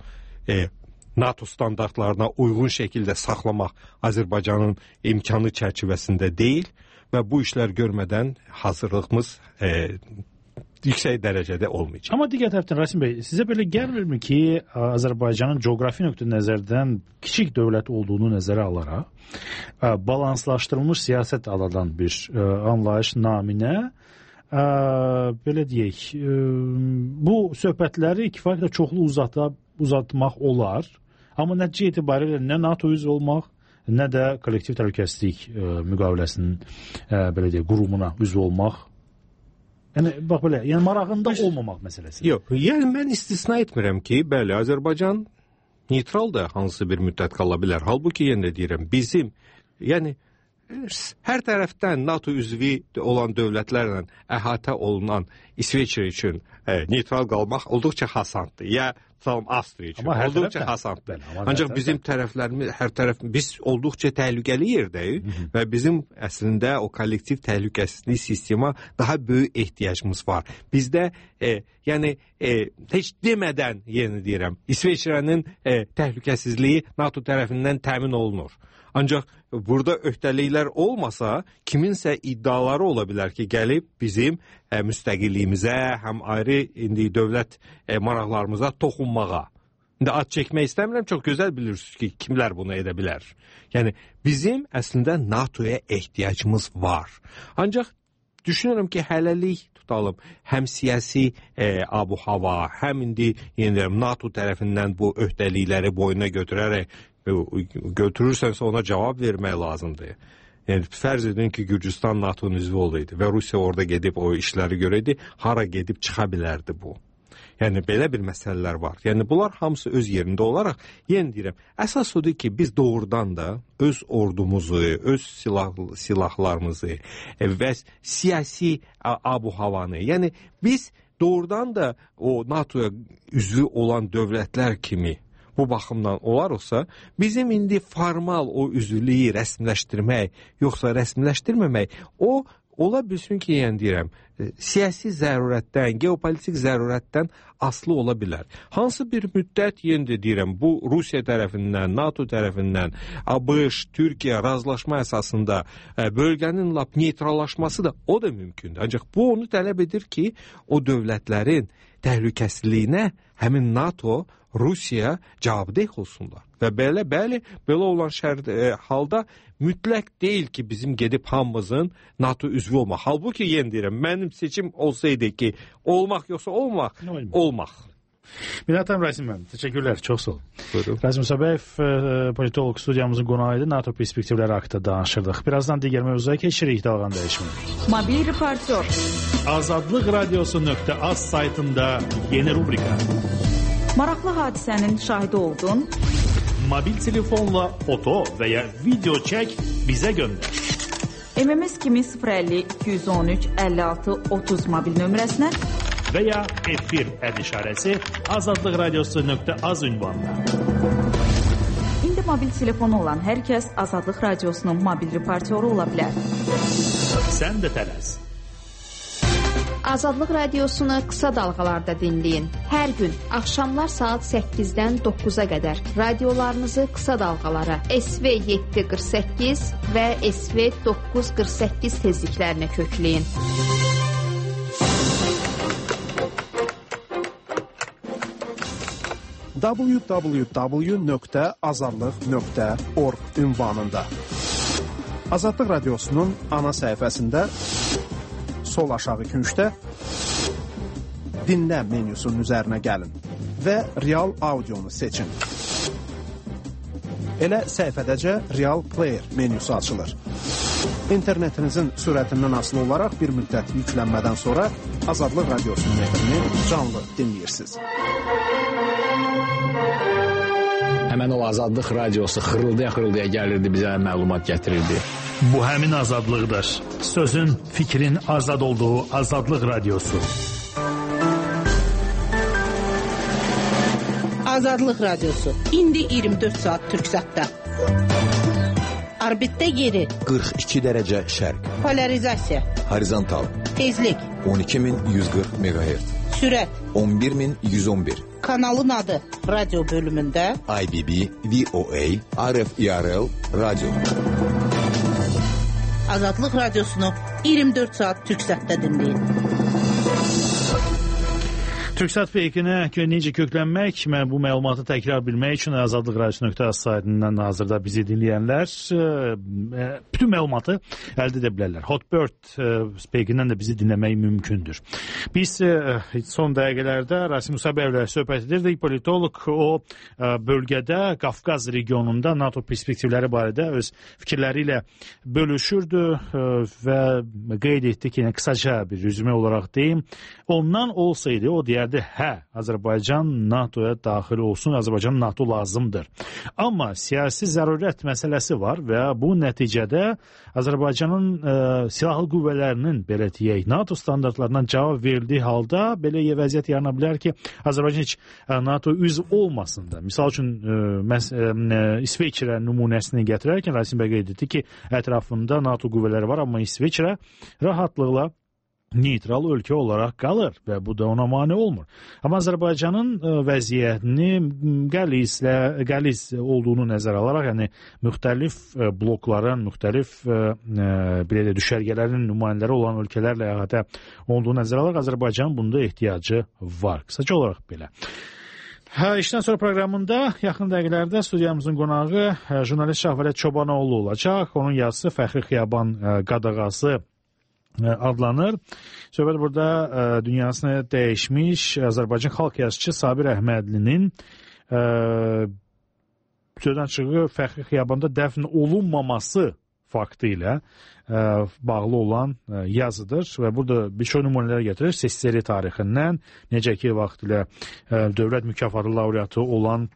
NATO standartlarına uyğun şəkildə saxlamaq Azərbaycanın imkanı çərçivəsində deyil və bu işlər görmədən hazırlığımız yüksək dərəcədə olmayacaq. Amma digər tərəfdən Rasim bəy, sizə belə gəlmirmi ki, Azərbaycanın coğrafi nöqteyi-nəzərdən kiçik dövlət olduğunu nəzərə alaraq balanslaşdırılmış siyasət adadan bir anlayış naminə belə deyək, bu söhbətləri kifayətlə çoxlu uzatmaq olar. Amma nəticə etibarilə nə NATO üzv olmaq, nə də kollektiv təhlükəsizlik müqaviləsinin belə deyək, qurumuna üzv olmaq. Yəni bax belə, yəni marağında olmamaq məsələsi. Yox, yəni mən istisna etmirəm ki, bəli, Azərbaycan neytral da hansısa bir müddət qala bilər. Halbuki yenə də deyirəm, bizim, yəni hər tərəfdən NATO üzvü olan dövlətlərlə əhatə olunan İsveçrə üçün neytral qalmaq olduqca asandır. Ya Avstriya üçün olduqca asandır. Ancaq bizim tərəflərimiz, hər tərəf, biz olduqca təhlükəli yerdəyik və bizim əslində o kollektiv təhlükəsizlik sistema daha böyük ehtiyacımız var. Bizdə yəni heç demədən yenə deyirəm, İsveçrənin təhlükəsizliyi NATO tərəfindən təmin olunur. Ancaq burada öhdəliklər olmasa, kiminsə iddiaları ola bilər ki, gəlib bizim müstəqilliyimizə, həm ayrı indi dövlət maraqlarımıza toxunmağa. İndi ad çəkmək istəmirəm, çox gözəl bilirsiniz ki, kimlər bunu edə bilər. Yəni, bizim əslində NATO-ya ehtiyacımız var. Ancaq düşünürəm ki, hələlik tutalım, həm siyasi abu-hava, həm indi NATO tərəfindən bu öhdəlikləri boyuna götürərək götürürsənsə ona cavab vermək lazımdır. Yəni, fərz edin ki, Gürcüstan NATO-nun üzvü olaydı və Rusiya orada gedib o işləri görəydi, hara gedib çıxa bilərdi bu. Yəni, belə bir məsələlər var. Yəni, bunlar hamısı öz yerində olaraq, yenə deyirəm, əsas odur ki, biz doğrudan da öz ordumuzu, öz silahlarımızı və siyasi abu-havanı, yəni biz doğrudan da o NATO-ya üzvü olan dövlətlər kimi bu baxımdan olarsa, bizim indi formal o üzvlüyü rəsmiləşdirmək, yoxsa rəsmiləşdirməmək, o ola bilsin ki, yəni deyirəm, siyasi zərurətdən, geopolitik zərurətdən asılı ola bilər. Hansı bir müddət, yenə də deyirəm, bu Rusiya tərəfindən, NATO tərəfindən, ABŞ, Türkiyə razılaşma əsasında bölgənin lap neytrallaşması da o da mümkündür. Ancaq bu onu tələb edir ki, o dövlətlərin təhlükəsizliyinə həmin NATO, Rusiya cavabdeh olsunlar. Və bəli, belə olan halda mütləq deyil ki, bizim gedib hamımızın NATO üzvü olmaq. Halbuki yenə deyirəm, mənim seçim olsaydı ki, olmaq yoxsa olmaq. Minətəm Rasim mənim, təşəkkürlər, çox sağ olun. Rasim Sabəyev, politolog studiyamızın qonağı idi, NATO perspektivləri haqqında danışırdıq. Birazdan digər mövzuya keçirik, dalğan dəyişmir. Mobil reportyor. Azadlıq radiosu.az saytında yeni rubrika. Maraqlı hadisənin şahidi oldun. Mobil telefonla foto və ya video çək, bizə göndər. MMS kimi 050 213 56 30 mobil nömrəsinə və ya efir işarəsi Azadlıq radiosu.az ünvanına. İndi mobil telefonu olan hər kəs Azadlıq radiosunun mobil reportyoru ola bilər. Sən də tələs. Azadlıq radiosunu qısa dalğalarda dinləyin. Hər gün axşamlar saat 8-dən 9-a qədər radiolarınızı qısa dalğalara SV 748 və SV 948 tezliklərinə kökləyin. www.azadlıq.org ünvanında Azadlıq radiosunun ana səhifəsində sol aşağı küncdə dinlə menyusunun üzərinə gəlin və Real Audionu seçin. Elə səhifədəcə Real Player menyusu açılır. İnternetinizin sürətindən asılı olaraq bir müddət yüklənmədən sonra Azadlıq radiosunun efrini canlı dinləyirsiniz. Həmən o Azadlıq radiosu xırıldaya gəlirdi, bizə məlumat gətirirdi. Bu həmin azadlıqdır. Sözün, fikrin azad olduğu Azadlıq radiosu. Azadlıq radiosu. İndi 24 saat Türksatda. Orbitdə yeri 42 dərəcə şərq. Polarizasiya. Horizontal. Tezlik 12140 MHz. Sürət 11111. Kanalın adı radyo bölümündə IBB, VOA, RFIRL radyo. Azadlıq radiosunu 24 saat Türksatda dinləyin. Türksat Feykinə necə köklənmək, mən bu məlumatı təkrar bilmək üçün azadlıqradiosu.az saytından hazırda bizi dinləyənlər bütün məlumatı əldə edə bilərlər. Hotbird Feykindən də bizi dinləmək mümkündür. Biz son dəqiqələrdə Rasim Musabəyevlə söhbət edirdik. Politolog o bölgədə, Qafqaz regionunda NATO perspektivləri barədə öz fikirləri ilə bölüşürdü və qeyd etdi ki, qısaca bir rüzümə olaraq deyim, ondan olsaydı, o deyər hə, Azərbaycan NATOya daxil olsun, Azərbaycan NATO lazımdır. Amma siyasi zərurət məsələsi var və bu nəticədə Azərbaycanın silahlı qüvvələrinin, belə deyək, NATO standartlarından cavab verildiyi halda belə vəziyyət yarana bilər ki, Azərbaycan heç NATO üzv olmasın da. Misal üçün, İsveçrə nümunəsini gətirərkən Rasim bəy qeyd etdi ki, ətrafında NATO qüvvələri var, amma İsveçrə rahatlıqla neytral ölkə olaraq qalır və bu da ona mane olmur. Amma Azərbaycanın vəziyyətini qəliz olduğunu nəzərə alaraq, yəni müxtəlif blokların, müxtəlif belə düşərgələrin nümayəndələri olan ölkələrlə əhatə olduğunu nəzərə alaraq Azərbaycanın bunda ehtiyacı var. Qısaca olaraq belə. İşdən sonra proqramında yaxın dəqiqələrdə studiyamızın qonağı jurnalist Şahvələt Çobanoğlu olacaq. Onun yazısı Fəxri Xiyaban qadağası adlanır. Söhbət burada dünyasını dəyişmiş Azərbaycan xalq yazıçı Sabir Əhmədlinin sözdən çığı Fəxri Xiyabanda dəfn olunmaması faktı ilə bağlı olan yazıdır və burada bir çox nümunələr gətirir. SSR tarixindən, necə ki, vaxt ilə dövlət mükafatı laureatı olan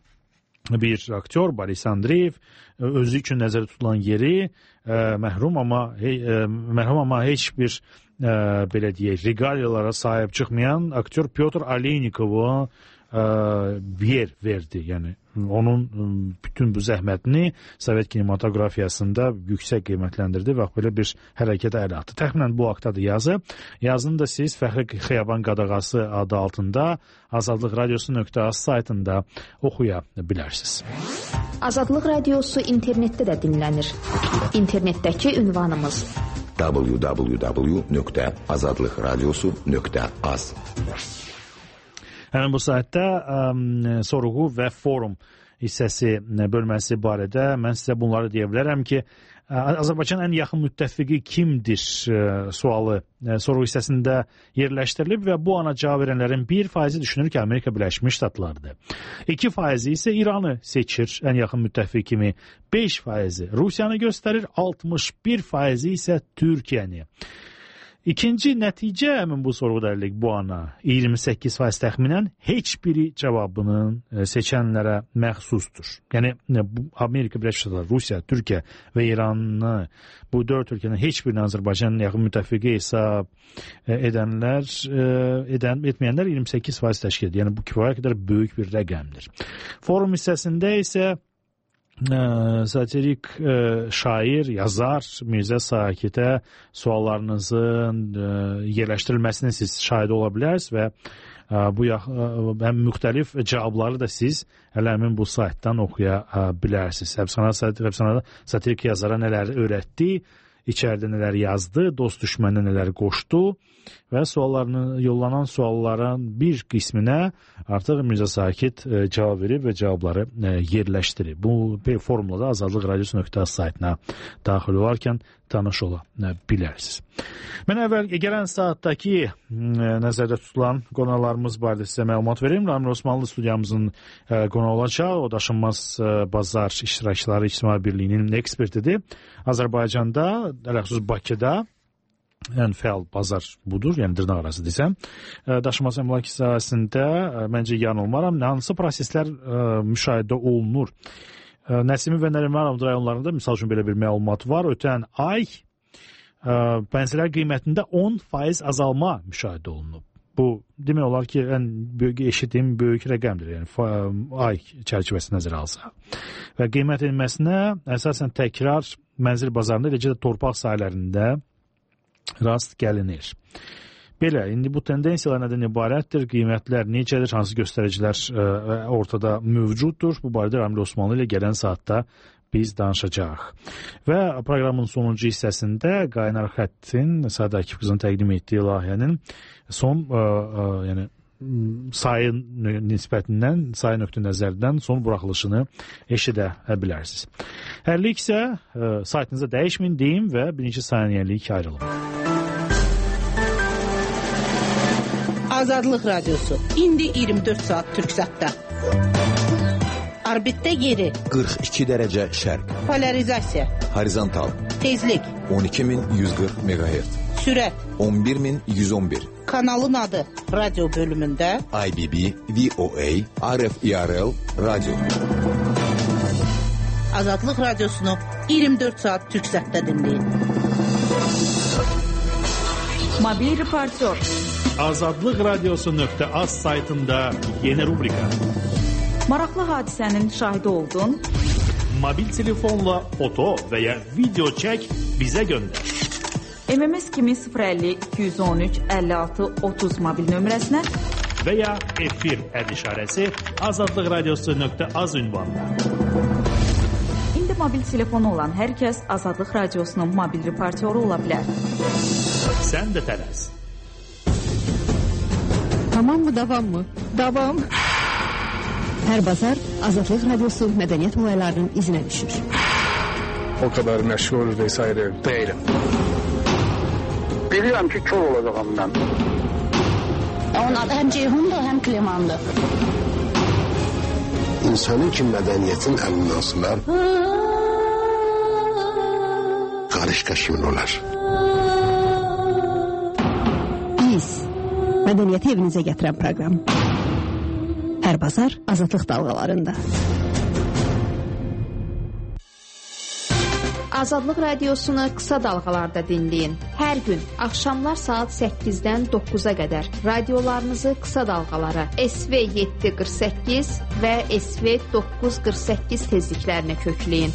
bir aktyor Boris Andreyev özü üçün nəzərdə tutulan yeri məhrum amma heç bir belə deyək, regaliyalara sahib çıxmayan aktyor Pyotr Aleynikova yer verdi. Yəni onun bütün bu zəhmətini Sovet kinematografiyasında yüksək qiymətləndirdi və belə bir hərəkətə əl atdı. Təxminən bu haqdadır yazı. Yazını da siz Fəxri Xiyaban qadağası adı altında Azadlıq radiosu.az saytında oxuya bilərsiniz. Azadlıq radiosu internetdə də dinlənir. İnternetdəki ünvanımız www.azadlıqradiosu.az. Həmin bu saytda sorğu və forum hissəsi bölməsi barədə mən sizə bunları deyə bilərəm ki, Azərbaycanın ən yaxın müttəfiqi kimdir sualı sorğu hissəsində yerləşdirilib və bu ana cavab verənlərin 1% düşünür ki, Amerika Birləşmiş Ştatlarıdır. 2% isə İranı seçir ən yaxın müttəfiq kimi, 5% Rusiyanı göstərir, 61% isə Türkiyəni. İkinci nəticə həmin bu sorğudayılıq bu ana 28% təxminən heç biri cavabının seçənlərə məxsusdur. Yəni Amerika Birləşmiş Ştatları, Rusiya, Türkiyə və İranı bu 4 ölkənin heç birini Azərbaycanın yaxın müttəfiqi hesab etməyənlər 28% təşkil edir. Yəni bu kifayət qədər böyük bir rəqəmdir. Forum hissəsində isə satirik şair, yazar Mirzə Sakitə suallarınızın yerləşdirilməsini siz şahid ola bilərsiniz və bu həm müxtəlif cavabları da siz həmin bu saytdan oxuya bilərsiniz. Həbsxanada satirik yazara nələr öyrətdi, içəridə nələr yazdı, dost düşməninə nələr qoşdu və yollanan sualların bir qisminə artıq Mirzə Sakit cavab verib və cavabları yerləşdirib. Bu forumla da Azadlıq radiosu.az saytına daxil olarkən tanış ola bilərsiniz. Mən əvvəl gələn saatdakı nəzərdə tutulan qonaqlarımız barədə sizə məlumat verim. Ramil Osmanlı studiyamızın qonağı olacaq. O daşınmaz bazar iştirakçıları İctimai Birliyinin ekspertidir. Azərbaycanda, ələxüsus Bakıda ən fəal bazar budur, yəni dırnaq arası desəm. Daşınmaz əmlak sahəsində məncə yanılmaram. Hansı proseslər müşahidə olunur? Nəsimi və Nərimanov rayonlarında misal üçün belə bir məlumat var. Ötən ay bənzilər qiymətində 10% azalma müşahidə olunub. Bu demək olar ki, ən böyük eşitdiyim böyük rəqəmdir, yəni ay çərçivəsi nəzərə alsa. Və qiymət enməsinə əsasən təkrar mənzil bazarında, eləcə də torpaq sahələrində rast gəlinir. Belə, indi bu tendensiyalar nədən ibarətdir? Qiymətlər necədir? Hansı göstəricilər ortada mövcuddur? Bu barədə Ramil Osmanlı ilə gələn saatda biz danışacağıq. Və proqramın sonuncu hissəsində Qaynar Xəttin, Sadə Akif qızın təqdim etdiyi layihənin son yəni sayı nisbətindən, sayı nöqtə-nəzərdən son buraxılışını eşidə bilərsiniz. Hərlik isə saytınıza dəyişməyin deyim və birinci saniyəlik ayrılın. Azadlıq Radiosu. İndi 24 saat Türksatda. Orbitdə yeri. 42 dərəcə şərq. Polarizasiya. Horizontal. Tezlik. 12140 MHz. Sürət. 11111. Kanalın adı. Radyo bölümündə. IBB, VOA, RFIRL, Radyo. Azadlıq Radiosunu 24 saat Türksatda dinləyin. Mobil reportör. Azadlıqradiosu.az saytında yeni rubrika. Maraqlı hadisənin şahidi oldun. Mobil telefonla foto və ya video çək, bizə göndər. MMS kimi 050 213 56 30 mobil nömrəsinə və ya efir işarəsi azadlıqradiosu.az ünvanına. İndi mobil telefonu olan hər kəs Azadlıq Radiosunun mobil reportyoru ola bilər. Sən də tələs. Tamam mı, davam mı? Davam. Hər bazar Azadlıq Radiosu mədəniyyət olaylarının izinə düşür. O kadar məşğul vesaire değilim. Bilirəm ki, kör olacağım mən. Onun adı həm Ceyhundur, həm Klimandır. İnsanın ki, mədəniyyətin əlindən sular, qarışqa kimin olar? Biz, mədəniyyəti evinizə gətirən proqram. Hər bazar Azadlıq dalğalarında. Azadlıq Radiosunu qısa dalğalarda dinləyin. Hər gün axşamlar saat 8-dən 9-a qədər radiolarınızı qısa dalğalara SV 748 və SV 948 tezliklərinə kökləyin.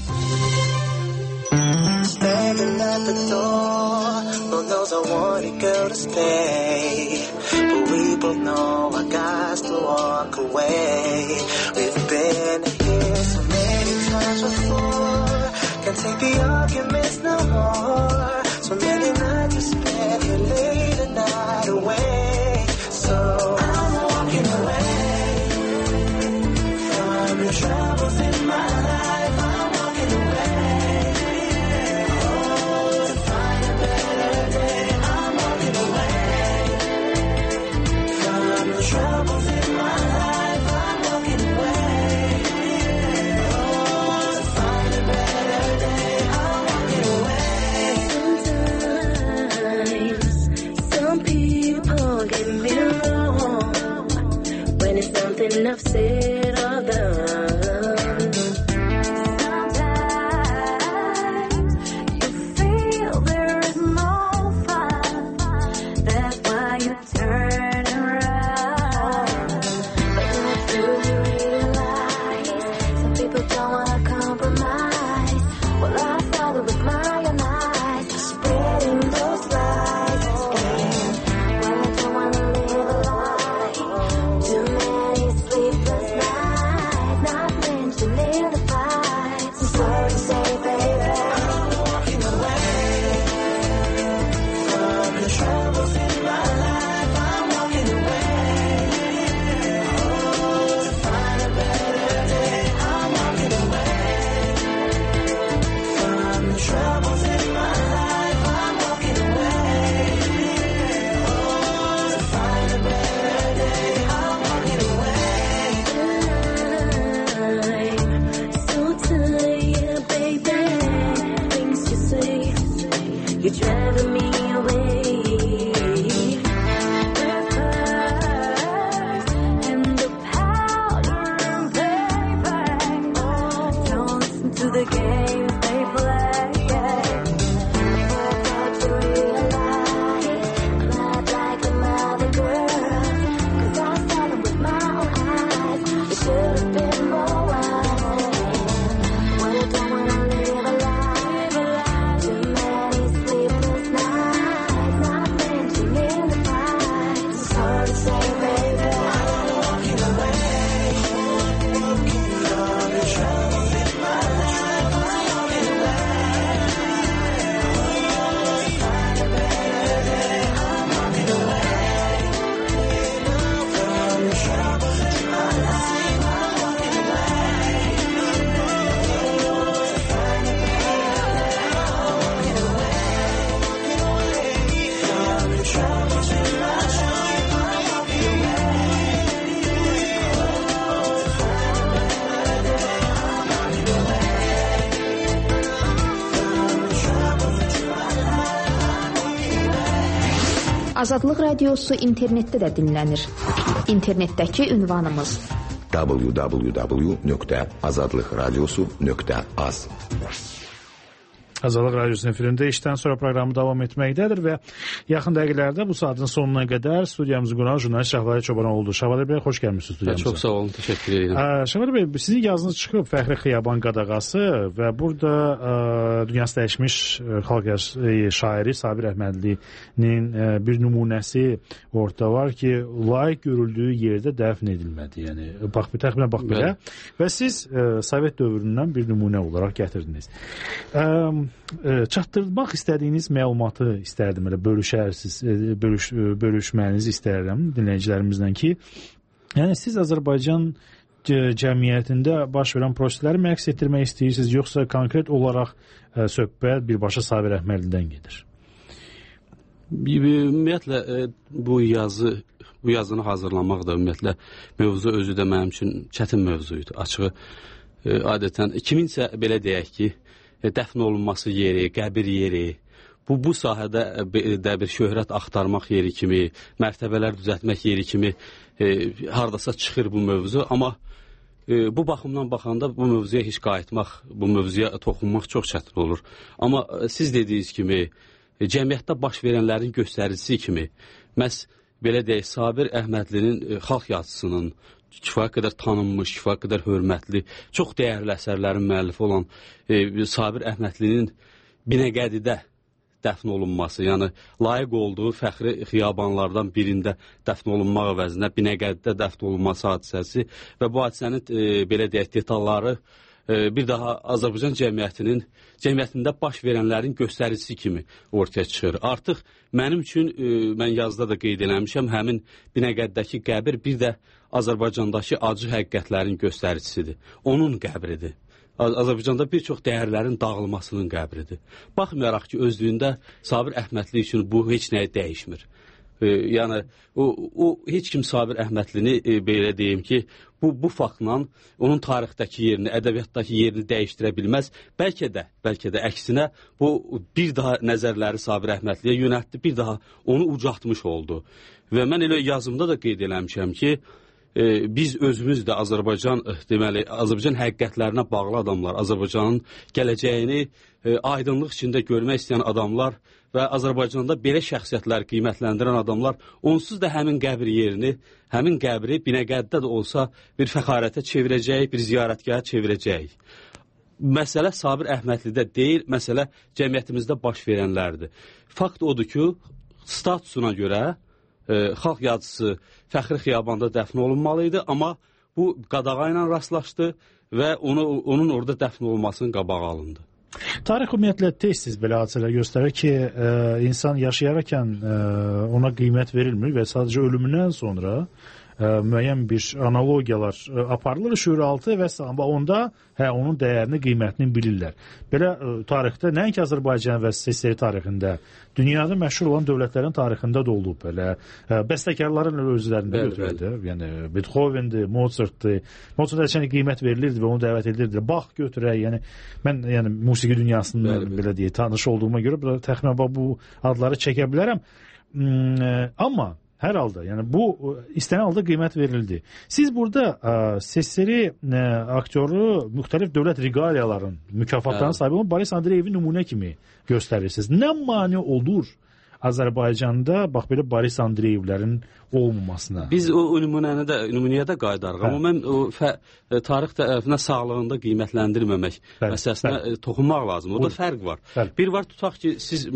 Standing at the door, Lord knows I want a girl to stay, but we both know I got to walk away. We've been here so many times before, can't take the arguments no more. So many nights we spent here late at night away. So I'm walking away from the troubles in my life. I'm walking away, oh, to find a better day. I'm walking away from the troubles in my life. I'm walking away, oh, to find a better day. I'm walking away. Sometimes some people get me wrong when it's something I've said or done. Sleepless Azadlıq Radiosu internetdə də dinlənir. İnternetdəki ünvanımız www.azadlıqradiosu.az. Azadlıq Radiosunun efirində işdən sonra proqramı davam etməkdədir və yaxın dəqiqələrdə bu saatın sonuna qədər studiyamızı qonan jurnalist Şahvadə Çobanov oldu. Şahvadə bəy, xoş gəlmişsiniz studiyamıza. Çox sağ olun, təşəkkür edirəm. Şahvadə bəy, sizin yazınız çıxıb Fəxri Xiyaban qadağası və burada dünyası dəyişmiş xalq şairi Sabir Əhmədlinin bir nümunəsi ortada var ki, layiq görüldüyü yerdə dəfn edilmədi. Yəni, təxminən bax belə. Və siz Sovet dövründən bir nümunə olaraq gətirdiniz. Çatdırmaq istədiyiniz məlumatı istərdim, elə bölüşməyinizi istərdim dinləyicilərimizdən ki, yəni siz Azərbaycan cəmiyyətində baş verən prosesləri mi əks etdirmək istəyirsiniz, yoxsa konkret olaraq söhbət birbaşa Sabir Əhmədlidən gedir? Ümumiyyətlə, bu yazını hazırlamaq da ümumiyyətlə mövzu özü də mənim üçün çətin mövzuydu. Açığı, adətən kiminsə belə deyək ki, dəfn olunması yeri, qəbir yeri, bu sahədə bir şöhrət axtarmaq yeri kimi, mərtəbələr düzəltmək yeri kimi hardasa çıxır bu mövzu. Amma bu baxımdan baxanda bu mövzuya heç qayıtmaq, bu mövzuya toxunmaq çox çətin olur. Amma siz dediyiniz kimi, cəmiyyətdə baş verənlərin göstəricisi kimi, məhz belə deyək, Sabir Əhmədlinin xalq yazısının, kifayət qədər tanınmış, kifayət qədər hörmətli, çox dəyərli əsərlərin müəllifi olan Sabir Əhmədlinin Binəqədidə dəfn olunması, yəni layiq olduğu fəxri xiyabanlardan birində dəfn olunmaq əvəzinə Binəqədidə dəfn olunması hadisəsi və bu hadisənin belə deyək detalları bir daha Azərbaycan cəmiyyətində baş verənlərin göstəricisi kimi ortaya çıxır. Artıq mənim üçün, mən yazıda da qeyd eləmişəm, həmin Binəqəddəki qəbir bir də Azərbaycandakı acı həqiqətlərin göstəricisidir. Onun qəbridir. Azərbaycanda bir çox dəyərlərin dağılmasının qəbridir. Baxmayaraq ki, özlüyündə Sabir Əhmədli üçün bu heç nəyi dəyişmir. Yəni, o heç kim Sabir Əhmədlini belə deyim ki, bu faktla onun tarixdəki yerini, ədəbiyyatdakı yerini dəyişdirə bilməz. Bəlkə də əksinə bu bir daha nəzərləri Sabir Əhmədliyə yönəltdi, bir daha onu ucaltmış oldu. Və mən elə yazımda da qeyd eləmişəm ki, biz özümüz də Azərbaycan həqiqətlərinə bağlı adamlar, Azərbaycanın gələcəyini aydınlıq içində görmək istəyən adamlar və Azərbaycanda belə şəxsiyyətləri qiymətləndirən adamlar onsuz da həmin qəbir yerini, həmin qəbri Binəqədidə də olsa bir fəxarətə çevirəcəyik, bir ziyarətgaha çevirəcəyik. Məsələ Sabir Əhmədlidə deyil, məsələ cəmiyyətimizdə baş verənlərdir. Fakt odur ki, statusuna görə xalq yazısı Fəxri Xiyabanda dəfn olunmalı idi, amma bu qadağa ilə rastlaşdı və onun orada dəfn olunmasının qabağı alındı. Tarix ümumiyyətlə tez-tez belə hadisələr göstərir ki, insan yaşayarkən ona qiymət verilmir və sadəcə ölümündən sonra müəyyən bir analogiyalar aparılır şüuraltı və onda onun dəyərini, qiymətini bilirlər. Belə tarixdə, nəinki Azərbaycan və SSR tarixində, dünyada məşhur olan dövlətlərin tarixində də olub belə. Bəstəkarların özlərində götürüldü. Yəni, Beethoven'dir, Mozart'dır. Mozart'a həçən qiymət verilirdi və onu dəvət edilirdi. Bax götürək, yəni, mən musiqi dünyasında belə deyək, tanış olduğuma görə təxminən bu adları çəkə bilərəm. Amma hər halda, yəni bu istənilən halda qiymət verildi. Siz burada SSR aktyoru müxtəlif dövlət reqaliyaların, mükafatların sahibi olan Boris Andreyevi nümunə kimi göstərirsiniz. Nə mane olur Azərbaycanda bax belə Boris Andreyevlərin olmamasına? Biz o nümunəyə də qayıdarıq. Amma mən tarix tərəfinə sağlığında qiymətləndirməmək məsələsinə toxunmaq lazım. O da fərq var. Bir var, tutaq ki, siz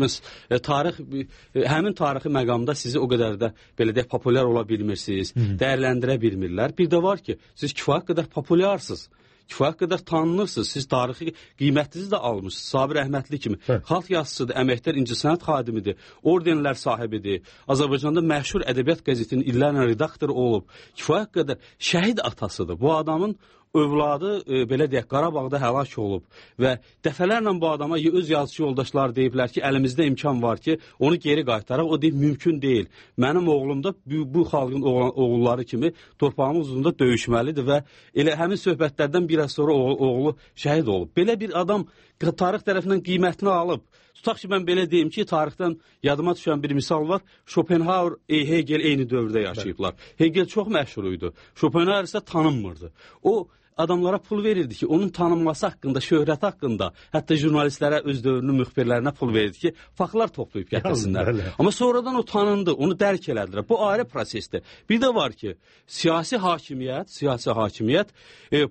həmin tarixi məqamda sizi o qədər də belə deyək populyar ola bilmirsiniz, dəyərləndirə bilmirlər. Bir də var ki, siz kifayət qədər populyarsınız. Kifayət qədər tanınırsınız, siz tarixi qiymətinizi də almışsınız. Sabir Əhmədli kimi xalq yazıçıdır, əməkdar incəsənət xadimidir, ordenlər sahibidir. Azərbaycanda məşhur ədəbiyyat qəzetinin illərlə redaktoru olub. Kifayət qədər şəhid atasıdır. Bu adamın övladı belə deyək Qarabağda həlak olub və dəfələrlə bu adama öz yazıçı yoldaşları deyiblər ki, əlimizdə imkan var ki, onu geri qaytaraq. O deyib mümkün deyil. Mənim oğlum da bu xalqın oğulları kimi torpağımız uzunda döyüşməlidir və elə həmin söhbətlərdən bir az sonra oğlu şəhid olub. Belə bir adam tarix tərəfindən qiymətini alıb. tutaq ki, mən belə deyim ki, tarixdən yadıma düşən bir misal var. Schopenhauer, Hegel eyni dövrdə yaşayıblar. Hegel çox məşhur idi. Schopenhauer isə tanınmırdı. O, adamlara pul verirdi ki, onun tanınması haqqında, şöhrəti haqqında, hətta jurnalistlərə, öz dövrünün müxbirlərinə pul verirdi ki, faktlar toplayıb gətirsinlər. Amma sonradan o tanındı, onu dərk elədilər. Bu ayrı prosesdir. Bir də var ki, siyasi hakimiyyət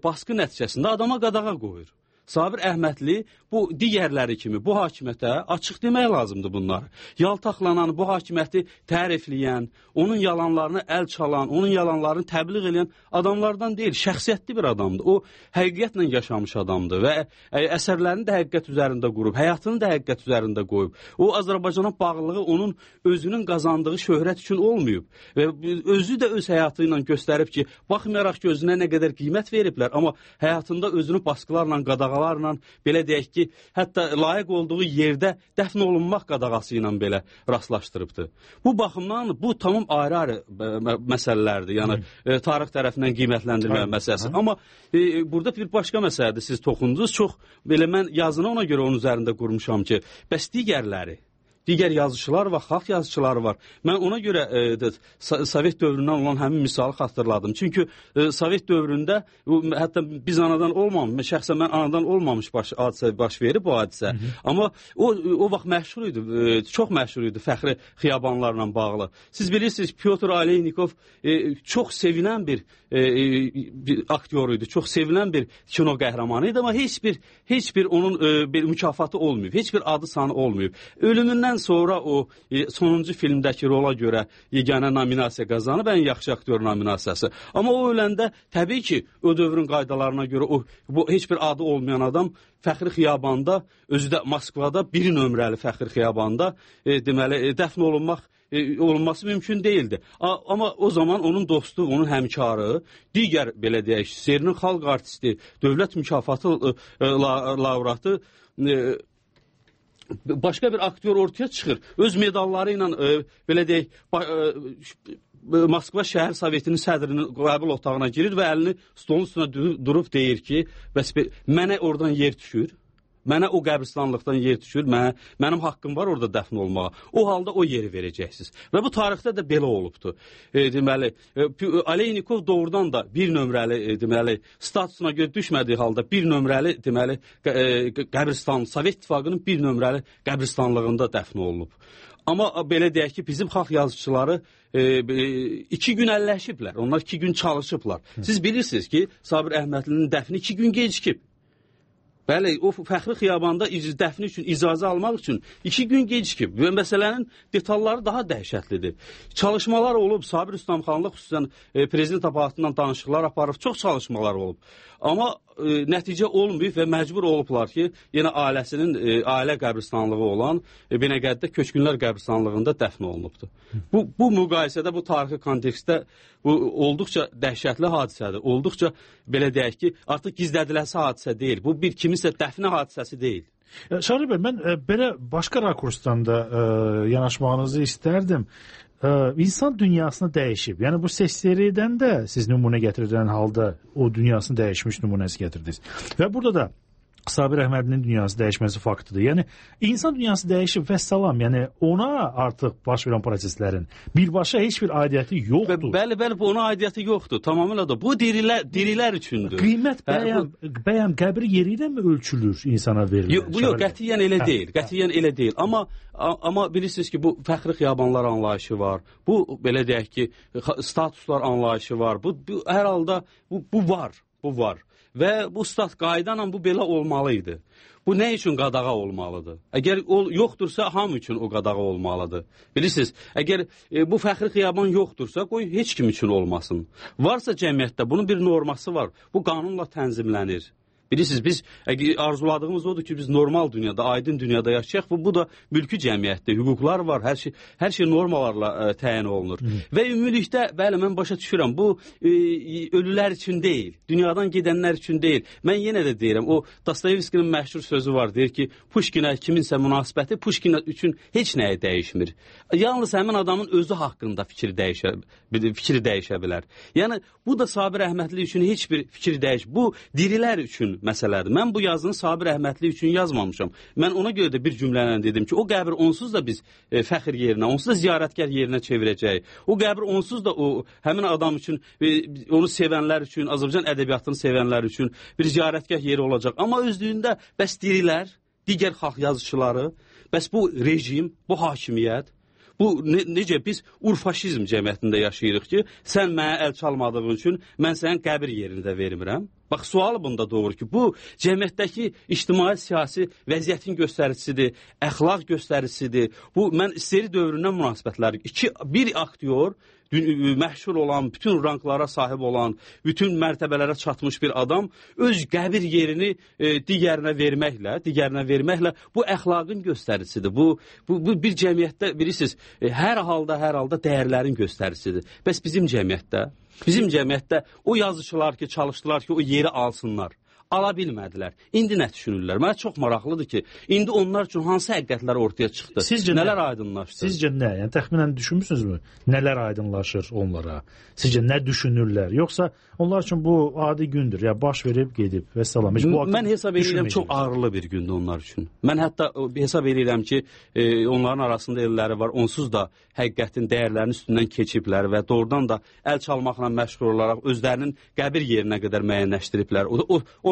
baskı nəticəsində adama qadağa qoyur. Sabir Əhmədli bu digərləri kimi bu hakimiyyətə açıq demək lazımdır bunları. Yaltaqlanan, bu hakimiyyəti tərifləyən, onun yalanlarını əl çalan, onun yalanlarını təbliğ edən adamlardan deyil, şəxsiyyətli bir adamdır. O, həqiqətlə yaşamış adamdır və əsərlərini də həqiqət üzərində qurub, həyatını da həqiqət üzərində qoyub. O, Azərbaycana bağlılığı onun özünün qazandığı şöhrət üçün olmayıb və özü də öz həyatı ilə göstərib ki, baxmayaraq ki, özünə nə qədər qiymət veriblər, amma həyatında özünü baskılarla, qadağalarla, belə deyək ki, hətta layiq olduğu yerdə dəfn olunmaq qadağası ilə belə rastlaşdırıbdır. Bu baxımdan bu tamam ayrı-ayrı məsələlərdir, yəni tarix tərəfindən qiymətləndirmə məsələsi. Amma burada bir başqa məsələdir, siz toxundunuz. Çox belə mən yazını ona görə onun üzərində qurmuşam ki, bəs digər yazıçılar var, xalq yazıçıları var. Mən ona görə Sovet dövründən olan həmin misalı xatırladım. Çünki Sovet dövründə, hətta biz anadan olmamış, şəxsən mən anadan olmamış hadisə baş verib bu hadisə. Amma o vaxt məşhur idi, çox məşhur idi fəxri xiyabanlarla bağlı. Siz bilirsiniz, Pyotr Aleynikov çox sevilən bir aktyor idi, çox sevilən bir kino qəhrəmanı idi, amma heç bir onun bir mükafatı olmayıb, heç bir adı sanı olmayıb. Ölümündən sonra o sonuncu filmdəki rola görə yeganə nominasiya qazanıb, ən yaxşı aktyor nominasiyası. Amma o öləndə təbii ki, o dövrün qaydalarına görə bu heç bir adı olmayan adam fəxri xiyabanda, özü də Moskvada bir nömrəli fəxri xiyabanda deməli dəfn olunması mümkün değildi. Amma o zaman onun dostu, onun həmkarı, digər belə deyək, Serinin xalq artisti, dövlət mükafatı laureatı başqa bir aktyor ortaya çıxır. Öz medalları ilə belə deyək, Moskva şəhər sovetinin sədrinin qəbul otağına girir və əlini stolun üstünə durub deyir ki, bəs mənə oradan yer düşür. Mənə o qəbristanlıqdan yer düşür, mənim haqqım var orada dəfn olmağa. O halda o yeri verəcəksiniz. Və bu tarixdə də belə olubdur. Deməli, Aleynikov doğrudan da bir nömrəli, deməli, statusuna görə düşmədiyi halda bir nömrəli, deməli, qəbristan, Sovet İttifaqının bir nömrəli qəbristanlığında dəfn olunub. Amma belə deyək ki, bizim xalq yazıçıları 2 gün əlləşiblər, onlar 2 gün çalışıblar. Siz bilirsiniz ki, Sabir Əhmədlinin dəfni 2 gün gecikib. Bəli, o fəxri xiyabanda dəfni üçün icazə almaq üçün 2 gün gecikib və məsələnin detalları daha dəhşətlidir. Çalışmalar olub, Sabir Üstəmxanlı xüsusən prezident aparatından danışıqlar aparıb, çox çalışmalar olub. Amma nəticə olmayıb və məcbur olublar ki, yenə ailəsinin ailə qəbristanlığı olan Binəqədidə Köçkünlər qəbristanlığında dəfn olunubdur. Bu müqayisədə, bu tarixi kontekstdə bu olduqca dəhşətli hadisədir. Olduqca belə deyək ki, artıq gizlədiləsi hadisə deyil. Bu bir kiminsə dəfni hadisəsi deyil. Şahri bəy, mən belə başqa rakursdan da yanaşmağınızı istərdim. İnsan dünyasını dəyişib. Yəni bu seriyadan da siz nümunə gətirilən halda o dünyasını dəyişmiş nümunəsi gətirdiniz. Və burada da Sabir Əhmədlinin dünyası dəyişməsi faktıdır. Yəni insan dünyası dəyişib və salam. Yəni ona artıq baş verən proseslərin birbaşa heç bir aidiyyəti yoxdur. Bəli, bu ona aidiyyəti yoxdur. Tamamilə da. Bu dirilər üçündür. Qiymət bəyəm qəbri yeri ilə mi ölçülür insana verilir? Yox, qətiyyən elə deyil. Qətiyyən elə deyil. Amma bilirsiniz ki, bu fəxri xiyabanlar anlayışı var. Bu belə deyək ki, statuslar anlayışı var. Bu hər halda bu var. Və bu stat qaydanla bu belə olmalıydı. Bu nə üçün qadağa olmalıdır? Əgər yoxdursa, hamı üçün o qadağa olmalıdır. Bilirsiniz, əgər bu fəxri xiyaban yoxdursa, qoy heç kim üçün olmasın. Varsa cəmiyyətdə bunun bir norması var. Bu qanunla tənzimlənir. Bilirsiniz, biz arzuladığımız odur ki, biz normal dünyada, aydın dünyada yaşayaq. Bu da mülki cəmiyyətdir, hüquqlar var, hər şey normalarla təyin olunur. Və ümumilikdə, bəli, mən başa düşürəm, bu ölülər üçün deyil, dünyadan gedənlər üçün deyil. Mən yenə də deyirəm, o Dostoyevskinin məşhur sözü var, deyir ki, Puşkinə kiminsə münasibəti Puşkin üçün heç nəyə dəyişmir. Yalnız həmin adamın özü haqqında fikri dəyişə bilər. Yəni, bu da Sabir Əhmədli üçün heç bir fikir dəyişmir. Bu dirilər üçün məsələdir. Mən bu yazını Sabir Əhmədli üçün yazmamışam. Mən ona görə də bir cümlə ilə dedim ki, o qəbir onsuz da biz fəxr yerinə, onsuz da ziyarətgər yerinə çevirəcəyik. O qəbir onsuz da həmin adam üçün, onu sevənlər üçün, Azərbaycan ədəbiyyatını sevənlər üçün bir ziyarətgah yeri olacaq. Amma özlüyündə bəs dirilər, digər xalq yazıçıları, bəs bu rejim, bu hakimiyyət, bu necə biz urfaşizm cəmiyyətində yaşayırıq ki, sən mənə əl çalmadığın üçün mən sənin qəbir yerini də vermirəm. Bax, sual bunda doğru ki, bu cəmiyyətdəki ictimai-siyasi vəziyyətin göstəricisidir, əxlaq göstəricisidir. Bu, mən seri dövründən münasibətlər. Bir aktyor, məşhur olan, bütün ranklara sahib olan, bütün mərtəbələrə çatmış bir adam öz qəbir yerini digərinə verməklə bu əxlaqın göstəricisidir. Bu bir cəmiyyətdə, bilirsiniz, hər halda dəyərlərin göstəricisidir. Bəs bizim cəmiyyətdə o yazıçılar ki, çalışdılar ki, o yeri alsınlar. Ala bilmədilər. İndi nə düşünürlər? Mənə çox maraqlıdır ki, indi onlar üçün hansı həqiqətlər ortaya çıxdı? Sizcə nələr aydınlaşdı? Sizcə nə? Yəni təxminən düşünmüsünüzmü? Nələr aydınlaşır onlara? Sizcə nə düşünürlər? Yoxsa onlar üçün bu adi gündür, ya baş verib gedib və salam. Mən hesab edirəm çox ağırlı bir gündür onlar üçün. Mən hətta hesab edirəm ki, onların arasında elləri var. Onsuz da həqiqətin dəyərlərinin üstündən keçiblər və doğrudan da əl çalmaqla məşğul olaraq özlərinin qəbir yerinə qədər müəyyənləşdiriblər. O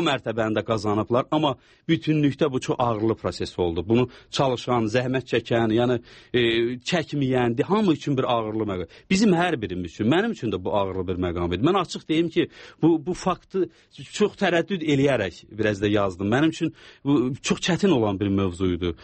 mərtəbəni də qazanıblar, amma bütünlükdə bu çox ağırlı proses oldu. Bunu çalışan, zəhmət çəkən, yəni çəkməyən, hamı üçün bir ağırlı məqam. Bizim hər birimiz üçün, mənim üçün də bu ağırlı bir məqam idi. Mən açıq deyim ki, bu faktı çox tərəddüd eləyərək biraz da yazdım. Mənim üçün bu çox çətin olan bir mövzuydu.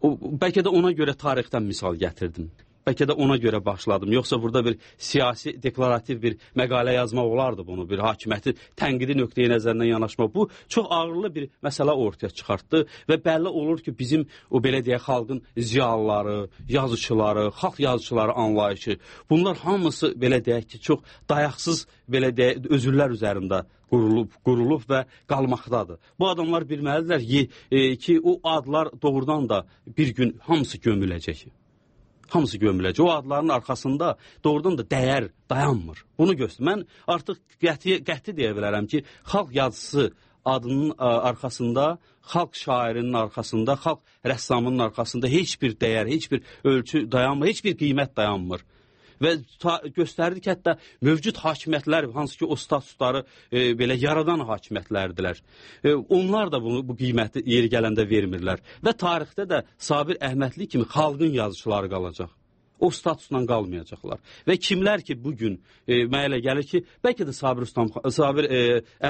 Bəlkə də ona görə tarixdən misal gətirdim. Bəlkə də ona görə başladım. Yoxsa burada bir siyasi, deklarativ bir məqalə yazmaq olardı bunu, bir hakimiyyəti tənqidi nöqteyi nəzərindən yanaşmaq. Bu çox ağırlı bir məsələ ortaya çıxartdı və bəlli olur ki, bizim o belə deyək xalqın ziyalıları, yazıçıları, xalq yazıçıları anlayışı, bunlar hamısı belə deyək ki, çox dayaqsız belə deyək özürlər üzərində qurulub və qalmaqdadır. Bu adamlar bilməlidirlər ki, o adlar doğrudan da bir gün hamısı gömüləcək. Hamısı gömüləcək. O adların arxasında doğrudan da dəyər dayanmır. Bunu göstər. Mən artıq qəti deyə bilərəm ki, xalq yazısı adının arxasında, xalq şairinin arxasında, xalq rəssamının arxasında heç bir dəyər, heç bir ölçü dayanmır, heç bir qiymət dayanmır. Və göstərdi ki, hətta mövcud hakimiyyətlər, hansı ki o statusları belə yaradan hakimiyyətlərdilər. Onlar da bu qiyməti yeri gələndə vermirlər. Və tarixdə də Sabir Əhmədli kimi xalqın yazıçıları qalacaq. O statusla qalmayacaqlar. Və kimlər ki, bugün mənə elə gəlir ki, bəlkə də Sabir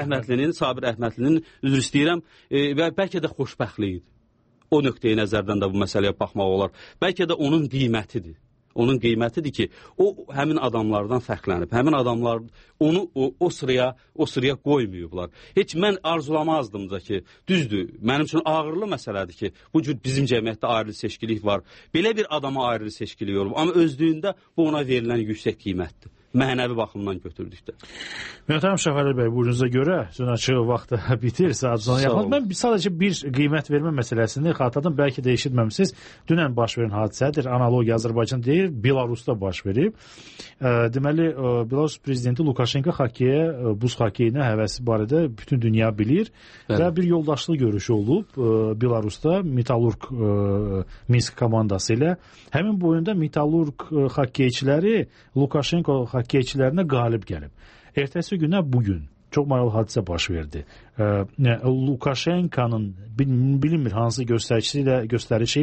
Əhmədlinin üzr istəyirəm və bəlkə də xoşbəxtliyidir. O nöqteyi nəzərdən də bu məsələyə baxmaq olar. Bəlkə də onun qiymətidir. Onun qiymətidir ki, o həmin adamlardan fərqlənib. Həmin adamlar onu o sıraya qoymayıblar. Heç mən arzulamazdım da ki, düzdür, mənim üçün ağırlı məsələdir ki, bu cür bizim cəmiyyətdə ayrı seçkilik var. Belə bir adama ayrı seçkilik olub. Amma özlüyündə bu ona verilən yüksək qiymətdir. Mənəvi baxımdan götürdükdə. Möhtərəm Şəfəli bəy, buyurunuza görə açıq vaxtı bitir, saat sona yaxın. Mən sadəcə bir qiymət vermə məsələsini xatırladım, bəlkə də eşitməmisiniz. Dünən baş verən hadisədir, analogiya Azərbaycan deyil, Belarusda baş verib. Deməli, Belarus prezidenti Lukashenko buz hokeyinə həvəsi barədə bütün dünya bilir və bir yoldaşlıq görüşü olub Belarusda Metallurq Minsk komandası ilə. Həmin boyunda Metallurq hokeyçiləri Lukashenko hokeyçilərinə qalib gəlib. Ertəsi günə bugün çox maraqlı hadisə baş verdi. Lukashenkonun bilinmir hansı göstərişi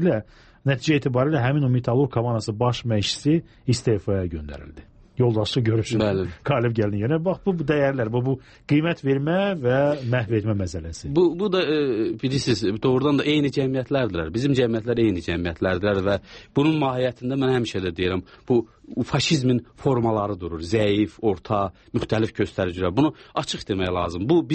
ilə nəticə etibarilə həmin o Metallurq komandası baş məşqçisi istefaya göndərildi. Yoldaşlıq görüşü qalib gəldi. Yəni, bax, bu dəyərlər, bu qiymət vermə və məhv etmə məsələsi. Bu da, bilirsiniz, doğrudan da eyni cəmiyyətlərdirlər. Bizim cəmiyyətlər eyni cəmiyyətlərdirlər və bunun mahiyyətində mən həmişə də deyirəm, bu faşizmin formaları durur. Zəif, orta, müxtəlif göstəricilər. Bunu açıq demək lazım. Bu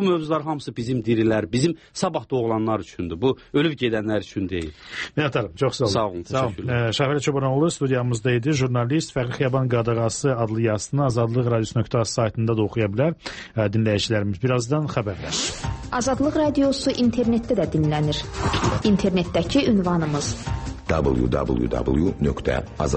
mövzular hamısı bizim dirilər, bizim sabah doğulanlar üçündür. Bu, ölüb gedənlər üçün deyil. Minnətdarım, çox sağ olun. Sağ olun, təşəkkürlər. Şəfəli Çobanoğlu studiyamızda idi. Jurnalist Fəxri Xiyaban Qadağası adlı yazısını Azadlıq Radiosu.az saytında da oxuya bilər dinləyicilərimiz. Birazdan xəbərlər. Azadlıq Radiosu internetdə də dinlənir. İnternetdəki ünvanımız www.azadlıqradio.az